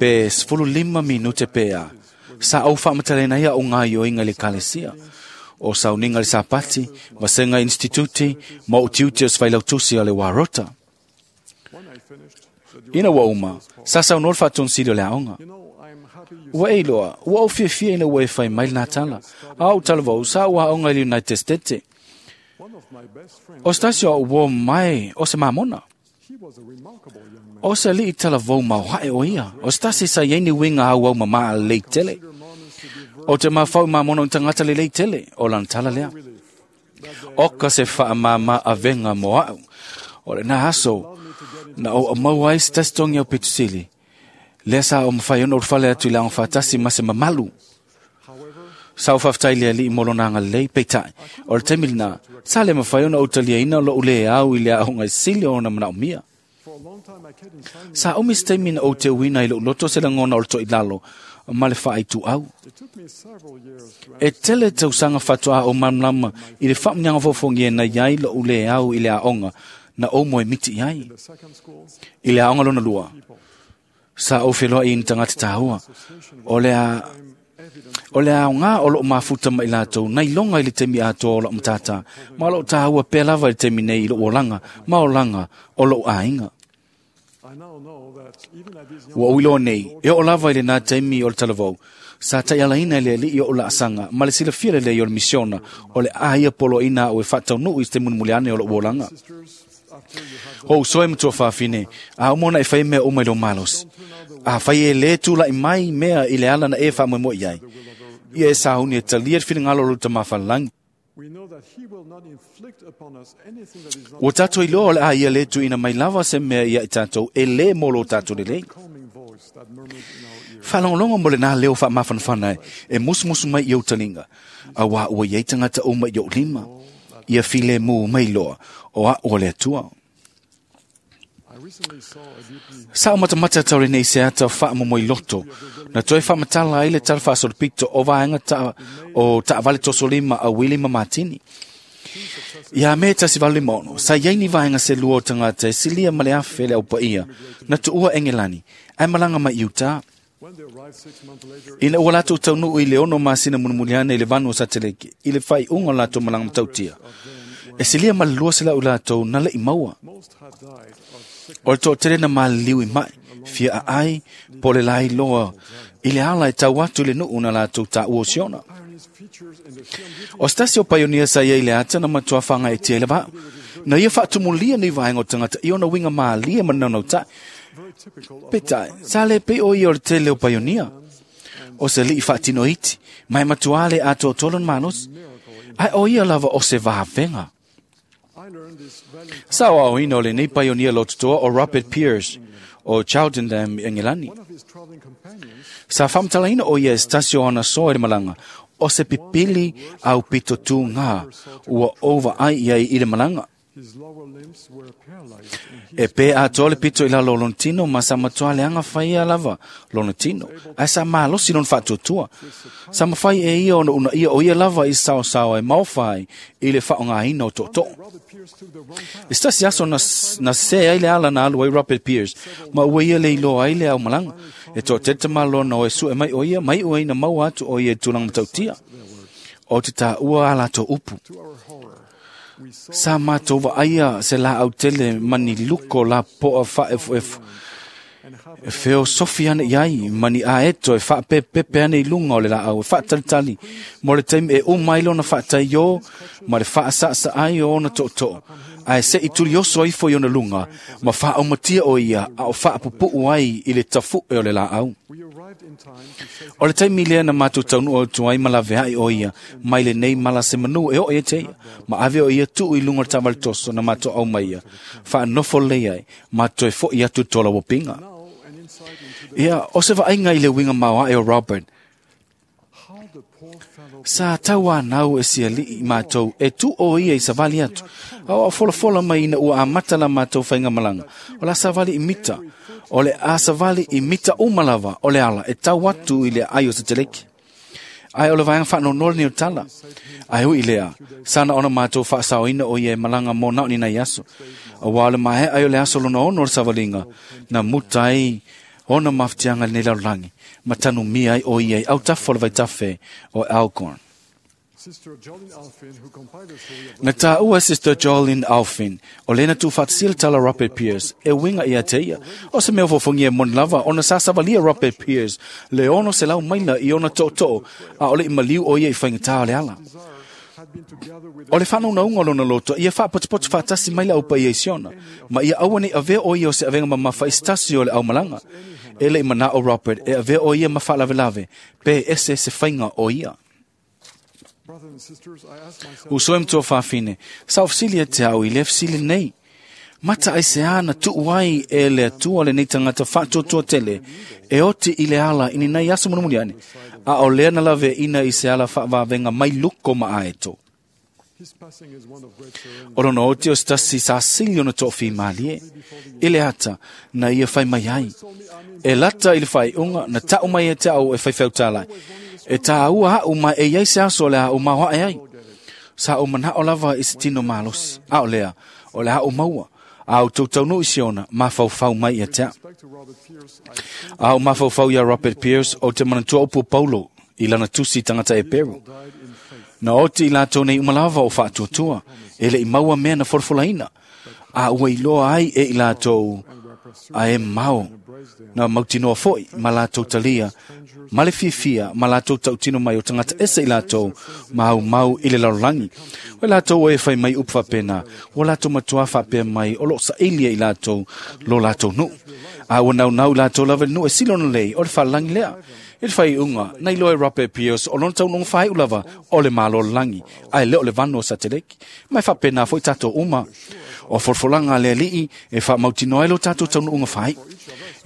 Pe 15 minute pe a, sa ou faamatalaina ai a'u gaoioiga i le Ekalesia, o sauniga i le Sapati, vasega instituti, ma ou tiute o se failautusi a le Warota. Ina ua uma, sa saunoa le faatonisili o le aoga. Ua e iloa, ua ou fiafia ina ua e fai mai lenā tala. A ou talavou, sa ou aoga i le United States. O se tasi o au uō mai o se mamona. O se alii talavou maoae o ia, o se tasi sa iai ni uiga auau mamā lelei tele. O te mafau i mamono i tagata lelei tele, o lana tala lea. Oka se faamāmā avega mo a'u. O lena aso, na ou aumaua ai se tasi togi aupito sili. Lea sa ou mafai ona ulufale atu i le agofaatasi ma se mamalu. Sa ou faafetai i le Alii mo lona agalelei, peitai, o le taimi lenā, sa le mafai ona ou taliaina lo'u lē au i le aoga e sili ona manaomia. Sa umi se taimi na ou teuina i lo'u loto se lagona o le to'ilalo ma le faaituau. E tele tausaga faatoā ou malamalama i le faamuniaga fofoofogia na i ai lo'u lē au i le aoga na ou moemiti i ai. I le aoga lona lua, sa ou feloai i ni tagata tāua. O le a O le aogā o loo mafuta ma i latou na iloga i le taimi atoa o la'u matātā, ma o loo tāua pea lava i le taimi nei i lo'u olaga ma olaga o lo'u aiga. Ua ou iloa nei, e oo lava i lenā taimi o le talavou, sa taialaina e le Alii o'u laasaga ma le silafia lelei o le misiona o le a ia poloaiina a'u e faataunuu i se taimi mulimuli ane o lo'u olaga. O uso e matua fafine, a uma ona e fai mea uma i lou malosi. Afai e lē tula'i mai mea i le ala na e faamoemoe i ai, ia e sauni e talia le finagalo o lou Tamā Falelagi. Ua tatou iloa o le a ia lē tuuina mai lava se mea ia i tatou e lē mo lo tatou lelei. Faalogologo mo lenā leo faamafanafana e musumusu mai i ou taliga, auā ua i ai tagata uma i ou lima. Ia filemu mai loa, o a'u o le Atua. Sa ou matamata tau lenei se ata faamomoiloto, na toe faamatala ai le tala faasolopito o vaega ta, o taavale tosolima a Wili ma Matini. Ia Me 1856, sa iai ni vaega se lua o tagata e silia ma le afe le aupaia, na tuua Engelani, ae malaga mai i Utah. Ina ua latou taunuu i le 6 masina mulimuli ane i le vanu o Sateleke, i le faaiuga o latou malaga matautia, e silia ma le 200 i latou na le'i maua. O le toatele na maliliu i mai, fia aai, po o le lailoa i le ala e tau atu i le nuu na latou taua o Siona. O se tasi o paionia sa iai i le ata na matua faagaeetia i le vaa, na ia faatumulia nei vaega o tagata i ona uiga malie ma le naunautai. Peitai, sa le pei o ia o le tele o paionia. O se alii faatino iti, ma e matuā le atoatoa lona malosi. Ae o ia lava o se vavega. Sa aoaoina o lenei paionia lototoa o Robert Pierce o Cheltenham i Engelani. Sa faamatalaina o ia e se tasi o ana soa i le malaga, o se pipili aupito tūgā ua ou vaai i ai i le malaga. E pē atoa le pito i lalo o lona tino ma sa matua leaga faia lava lona tino, ae sa malosi lona faatuatua. Sa mafai e ia ona uunaia o ia lava i saosaoa e maofa ai i le faaaogaina o tootoo. I se tasi aso na, na sē ai le ala na alu ai Robert Pierce, ma ua ia le iloa ai le aumalaga. E toatele tamaloa na o e sue mai o ia, ma iu ai na maua atu o ia i tulaga matautia. O te taua a latou upu. Sa matou vaaia se laau tele ma ni luko lapoa faaefuefu e feosofi ane i ai ma ni aeto e faapepepe ane i luga o le laau e faatalitali mo le taimi e uma ai lona faataiō ma le faasaasaa ai o ona tootoo, ae se'i tulioso ifo i ona luga ma faaaumatia o ia a o faapupuu ai i le tafu'e o le laau. O le taimi lea na matou taunuu atu ai ma laveai o ia mai lenei mala se manu e oo ia te ia, ma ave o ia tuu i luga o le taavale toso na matou aumaia, faanofo lelei ai, ma toe fo'i atu i tolauopiga. Ia, o se vaaiga i le uiga maoae o Robert, sa tauanau e siali'i matou e tuu o ia i savali atu, a o folafola mai ina ua amata la matou faigamalaga, o la savali i mita, o le a savali i mita uma lava o le ala e tau atu i le aai o Sateleke. Ae o le vaega faanoanoa lenei o tala. Ae ui i lea, sana ona matou faasaoina o ia e malaga mo na o ni nai aso. Auā o le maea ai o le aso lona ono o le savaliga, na muta ai ona mafatiaga i lenei lalolagi, ma tanumia ai o ia i autafa o le vaitafe o Elkhorn. Na taua e Sister Jolene Alphin, o lena tuufaatasia le tala Robert Pierce, e uiga ia te ia. O se mea fofoofogia e moni lava, ona sa savalia Robert Pierce le 600 maila i ona tootoo, a o le i maliu o ia i faigatā o le ala. O le whanau o lona loto, ia whaapotopoto whaatasi mai le au paia i Siona, ma ia aua nei avea o ia o se avenga mamafa i stasi o le aumalanga. E le i mana o Robert, e avea o ia ma whaalavelawe, pe ese se whainga o ia. Uso e mtua whawhine, sa ofsili e te au i le ofsili nei. Mata ai se ana tuu ai e le atua le nei tangata whaatotoa tele, e oti i le ala ini nei aso munumuli ane, a o lea na lave ina i se ala whaavavenga mai luko ma aeto. O lona oti o stasi sa sili ona to'o malie, i le ata na ia whai mai ai. E lata i le whai unga na tau mai e te au e whai whautalai. E tā ua hau mai e iai se aso le au maua e ai. Sa o mana o lava i se tino malosi. A o lea, o le hau maua. A o tautaunu i siona, mawhauwhau mai ia te. A o mawhauwhau ia Robert Pierce o te manatua upu Paulo i lana tusi tangata e Peru. Na oti i lātou nei umalava o whaatuatua, e le i maua mea na forofolaina. A ua iloa ai e i lātou a e mau. Na mautinoa foi, ma lātou talia, ma le fiafia, ma lātou tautino mai o tangata ese i lātou, ma au mau i le lalolagi. O lātou e whai mai upu whapena, o lātou matua whapea mai, o lo sailia i lātou, lo lātou nu. A ua nau nau lātou lava nu e silona lei, o le whalangi lea. E le whai unga, nei loe Robert Pierce, o lona taunonga whai ulava, o le malo langi, ai le o le vano o sateleki. Mai whapena foi tātou uma. O forfolanga le alii, e wha mautinoa e lo tātou taunonga whai.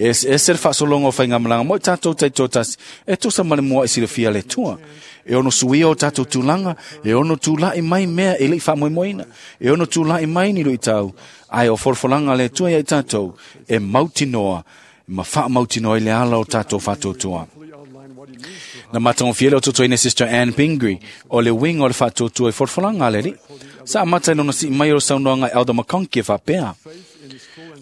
E se le whaasolonga o whainga malanga mo tātou taitotasi, e tosa male mua i silafia le tua. E ono suia o tātou tūlanga, e ono tūlai mai mea e lei whaamoemoeina, e ono tūlai mai ni rui tau, ai o forfolanga le tua ia i tātou, e mautinoa, ma whaamautinoa i le ala o tātou whaatotoa. Na matango fiele o toto ine Sister Anne Pingree, o le winga o le whaatotoa i forfolanga le li. Sa amata i lona si mai o saunoanga Elder McConkie whapea.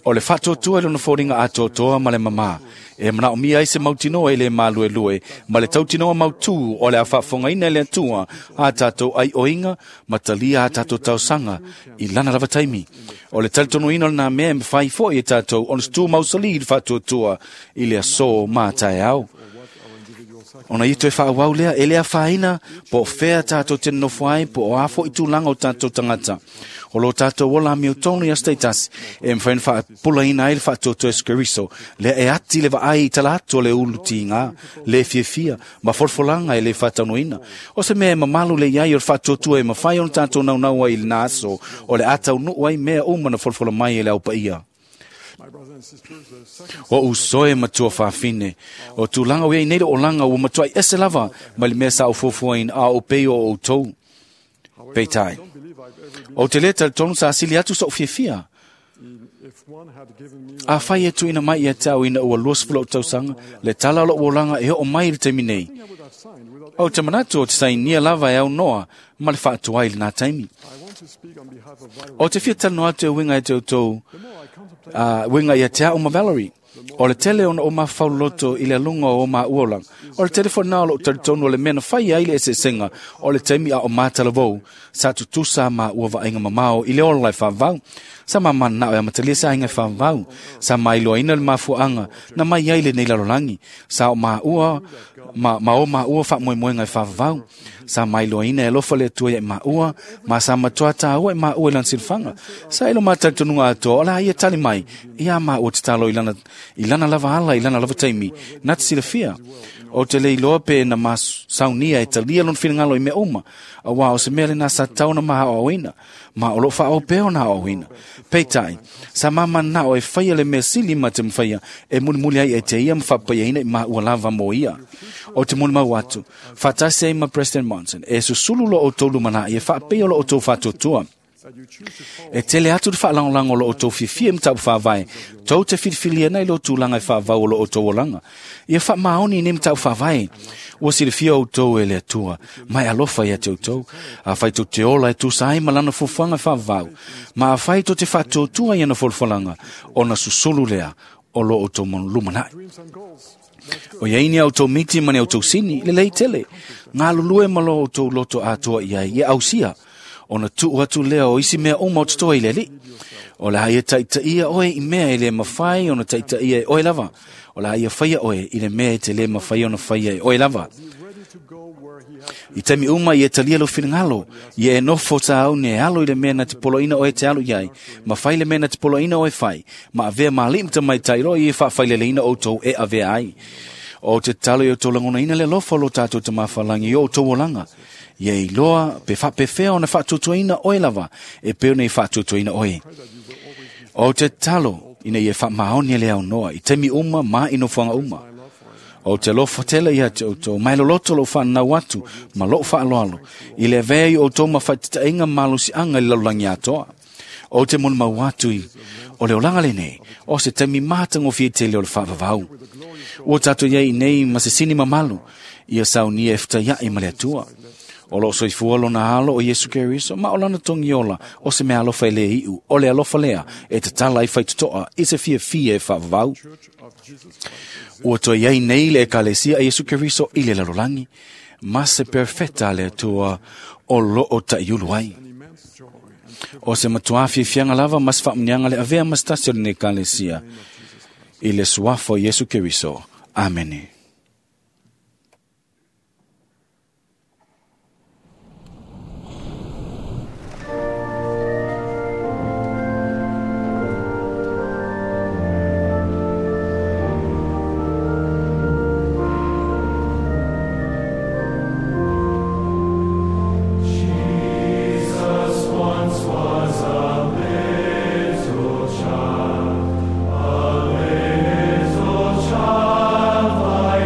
O le whaatotoa i lona fōringa atotoa ma le mama. E mana o mia ai se mautinoa i le mālue lue, ma le tautinoa mautū o le a whaafongaina le atua, a tātou ai oinga, ma talia a tātou tausanga, i lana lava taimi. O le talitonuina o nā mea e mwhai foi e tātou, o le mausali i le whaatotoa i le aso mā tae au. Ona ito e whaawau lea, e lea whaina, po whea tātou te nofo ai, po o afo i tūlanga o tātou tangata. O lo tātou ola mi o tonu ia status, e mwhain whaapula ina ai le whaatoto e skeriso, lea e ati le vaai i tala atu o le ulu tinga, le fiafia, ma forfolanga e le whataunoina. O se mea e mamalu le iai o le whaatoto e mawhai o tātou naunaua i le nāso, o le atau nuu ai mea uma na forfola mai e le aupa ia. O usoe matua whawhine, o tūlanga o iei neira o langa o matua i ese lava, mai le mea sa o fuafuaina a o pei o o tau. Peitai. O te lea tonu sa asili atu sa o fiafia. A whai e tuina mai ia tau ina ua 20 o tausanga, le tala o o langa e o mai le taimi nei. O te manatu o te sainia lava e au noa, ma le whaatua i le nā taimi. O te fia talanoa atu e winga e te o tau, winga ia te au ma Valerie. O le tele ona o mawhauloto i le alunga o ma uolang. O le telefona o lo talitonu o le mea na whai ai le esesenga o le taimi a o mātalavou sa tutusa ma ua vainga mamao i le ola e whaavau. Sa mamana nao e amatalia sa ainga e whaavau. Sa mailoaina le mafuanga na mai ai le nei lalolangi. Sa o ma ua, ma o ma ua whaamoemoenga e whaavau. Sa mailoaina e lofa le atua ia e ma ua, ma sa matua tāua e ma ua i lana silafanga. Sa ilo mātalitonuga atoa o la ia tali mai ia ma ua tatalo i lana lava ala, i lana lava taimi, nā te silafia. O te leiloa pe na ma saunia e talia lona finagalo i mea uma, a wā o se mea le nā sa tauna ma hao ma o lo whaao peo na hao. Peitai, sa mama nā o e whaia le mea sili ma te mwhaia, e muli ai e te ia mwhapaia ina i ma ua lava mo ia. O te muli mau atu, whatasi ai ma President Monson, e susulu lo o tolu mana i e whaapea lo o tō whatotua. E tele atu te whaalangolango lo o tō fiafia mtau whaavai, tau te whiriwhiria nei lo tūlanga i whaavau lo o tō olanga. Ia whaamaoni ni mtau whaavai, ua silafia o tō e le atua, mai alofa ia te o tō, a whai tō te ola e tūsa ai malana fufuanga whaavau, ma a whai tō te whaatōtua i ana folfolanga, ona susulu lea o lo o tō lumanai. O ia ini au tō miti mani au tō sini, le lei tele, ngā lulue malo o tō loto atoa ia ia ausia, ona tuu atu lea o isi mea uma o totoa i le li. O la ia taitaia oe i mea e le mawhai ona taitaia e oe lava. O la ia whaia oe i le mea e te le mawhai ona whaia e oe lava. I taimi uma ia talia lou finagalo, ia e nofo tāuni e alo i le mea na te poloaiina oe e te alu i ai, ma fai le mea na te poloaiina oe e fai, ma avea ma alii ma tamaitai loa ia e faafaileleina outou e avea ai. O te tatalo ia outou lagonaina le alofa o lo tatou Tamafalagi i o outou olaga, ia iloa pe faapefea ona faatuatuaina oe lava e pei ona i faatuatuaina oe. O te tatalo ina ia faamaoni e le aunoa i taimi uma ma i nofoaga uma. O te alofa tele ia te outou, ma e loloto lou faanau atu ma lou faaaloalo, i le avea i outou ma faataitaiga malosiaga i le lalolagi atoa. O te molimau atu i o le olaga lenei, o se taimi matagofie tele o le faavavau. Ua tatou i ai nei ma se sini mamalu, ia saunia e fetaiai ma le Atua. O loo soifua lona alo o Iesu Keriso, ma o lana togiola o se mea alofa e le iu, o le alofa lea e tatala ai faitotoa i se fiafia e faavavau. Ua toe i ai nei le Ekalesia a Iesu Keriso i le lalolagi, ma se perfeta a le Atua o loo taiulu ai. O se matuā fiafiaga lava ma se faamuniaga le avea ma se tasi o lenei Ekalesia i le suafa o Iesu Keriso. Amene. Jesus once was a little child, a little child like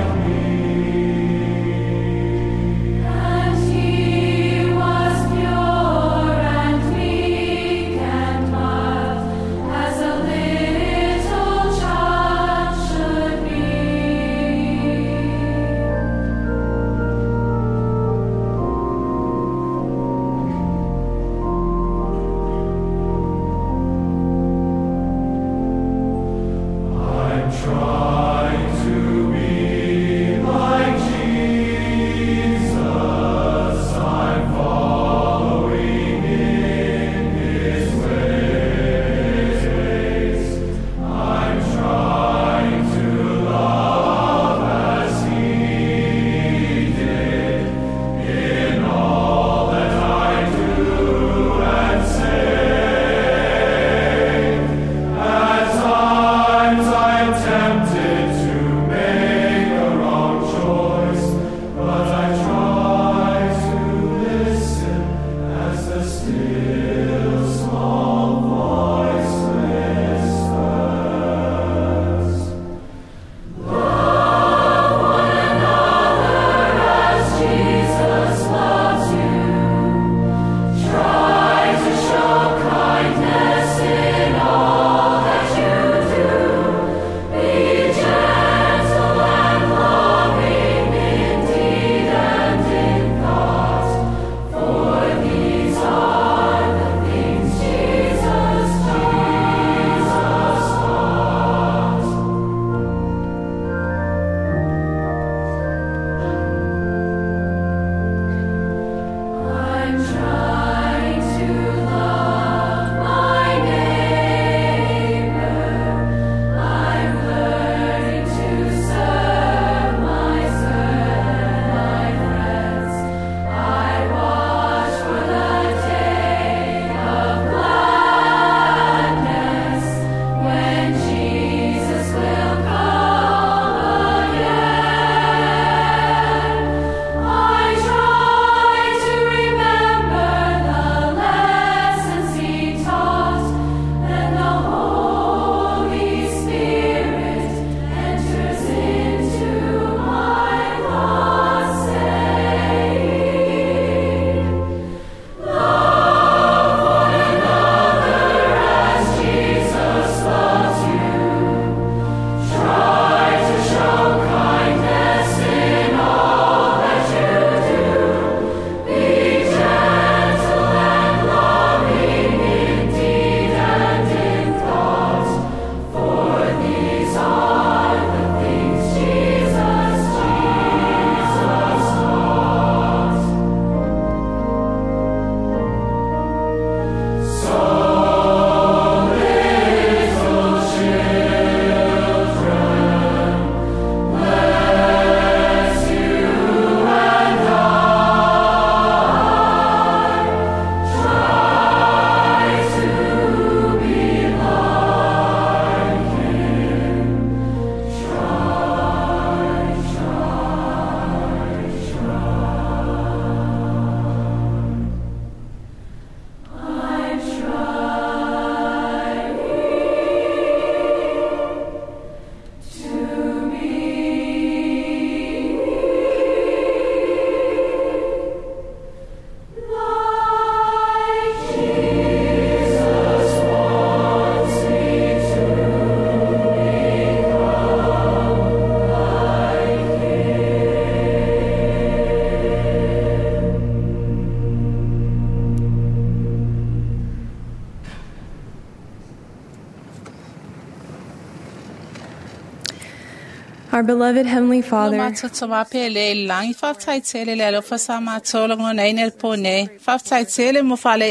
Our beloved Heavenly Father, Matou tama pele i le lagi, faafetai tele le alofa sa matou lagonaina i le po nei. Faafetai tele mo fale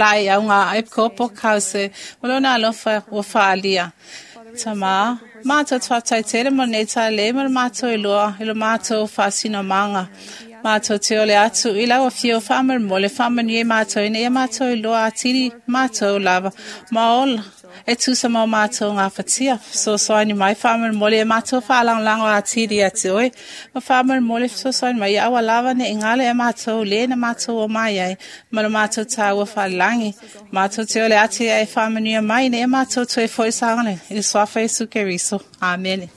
laʻi auga epikopo kause ma lona alofa ua faaalia. Tamā, matou te faafetai tele mo lenei talalelei ma le matou iloa i lo matou faasinomaga. Matou te ole atu i lau afio faamolemole faamanuia i matou ina ia matou iloa atili matou lava ma ola e tusa ma o matou gafatia. Fesoasoani mai faamolemole e matou faalagolago atili ia te oe. Ma faamolemole fesoasoani mai ia aua lava neʻi galo ia matou lē na matou o mai ai ma lo matou tāua faalelagi. Matou te ole atu ia e faamanuia mai ina ia matou toe foʻi saogalemu i le suafa Iesu Keriso. Amene.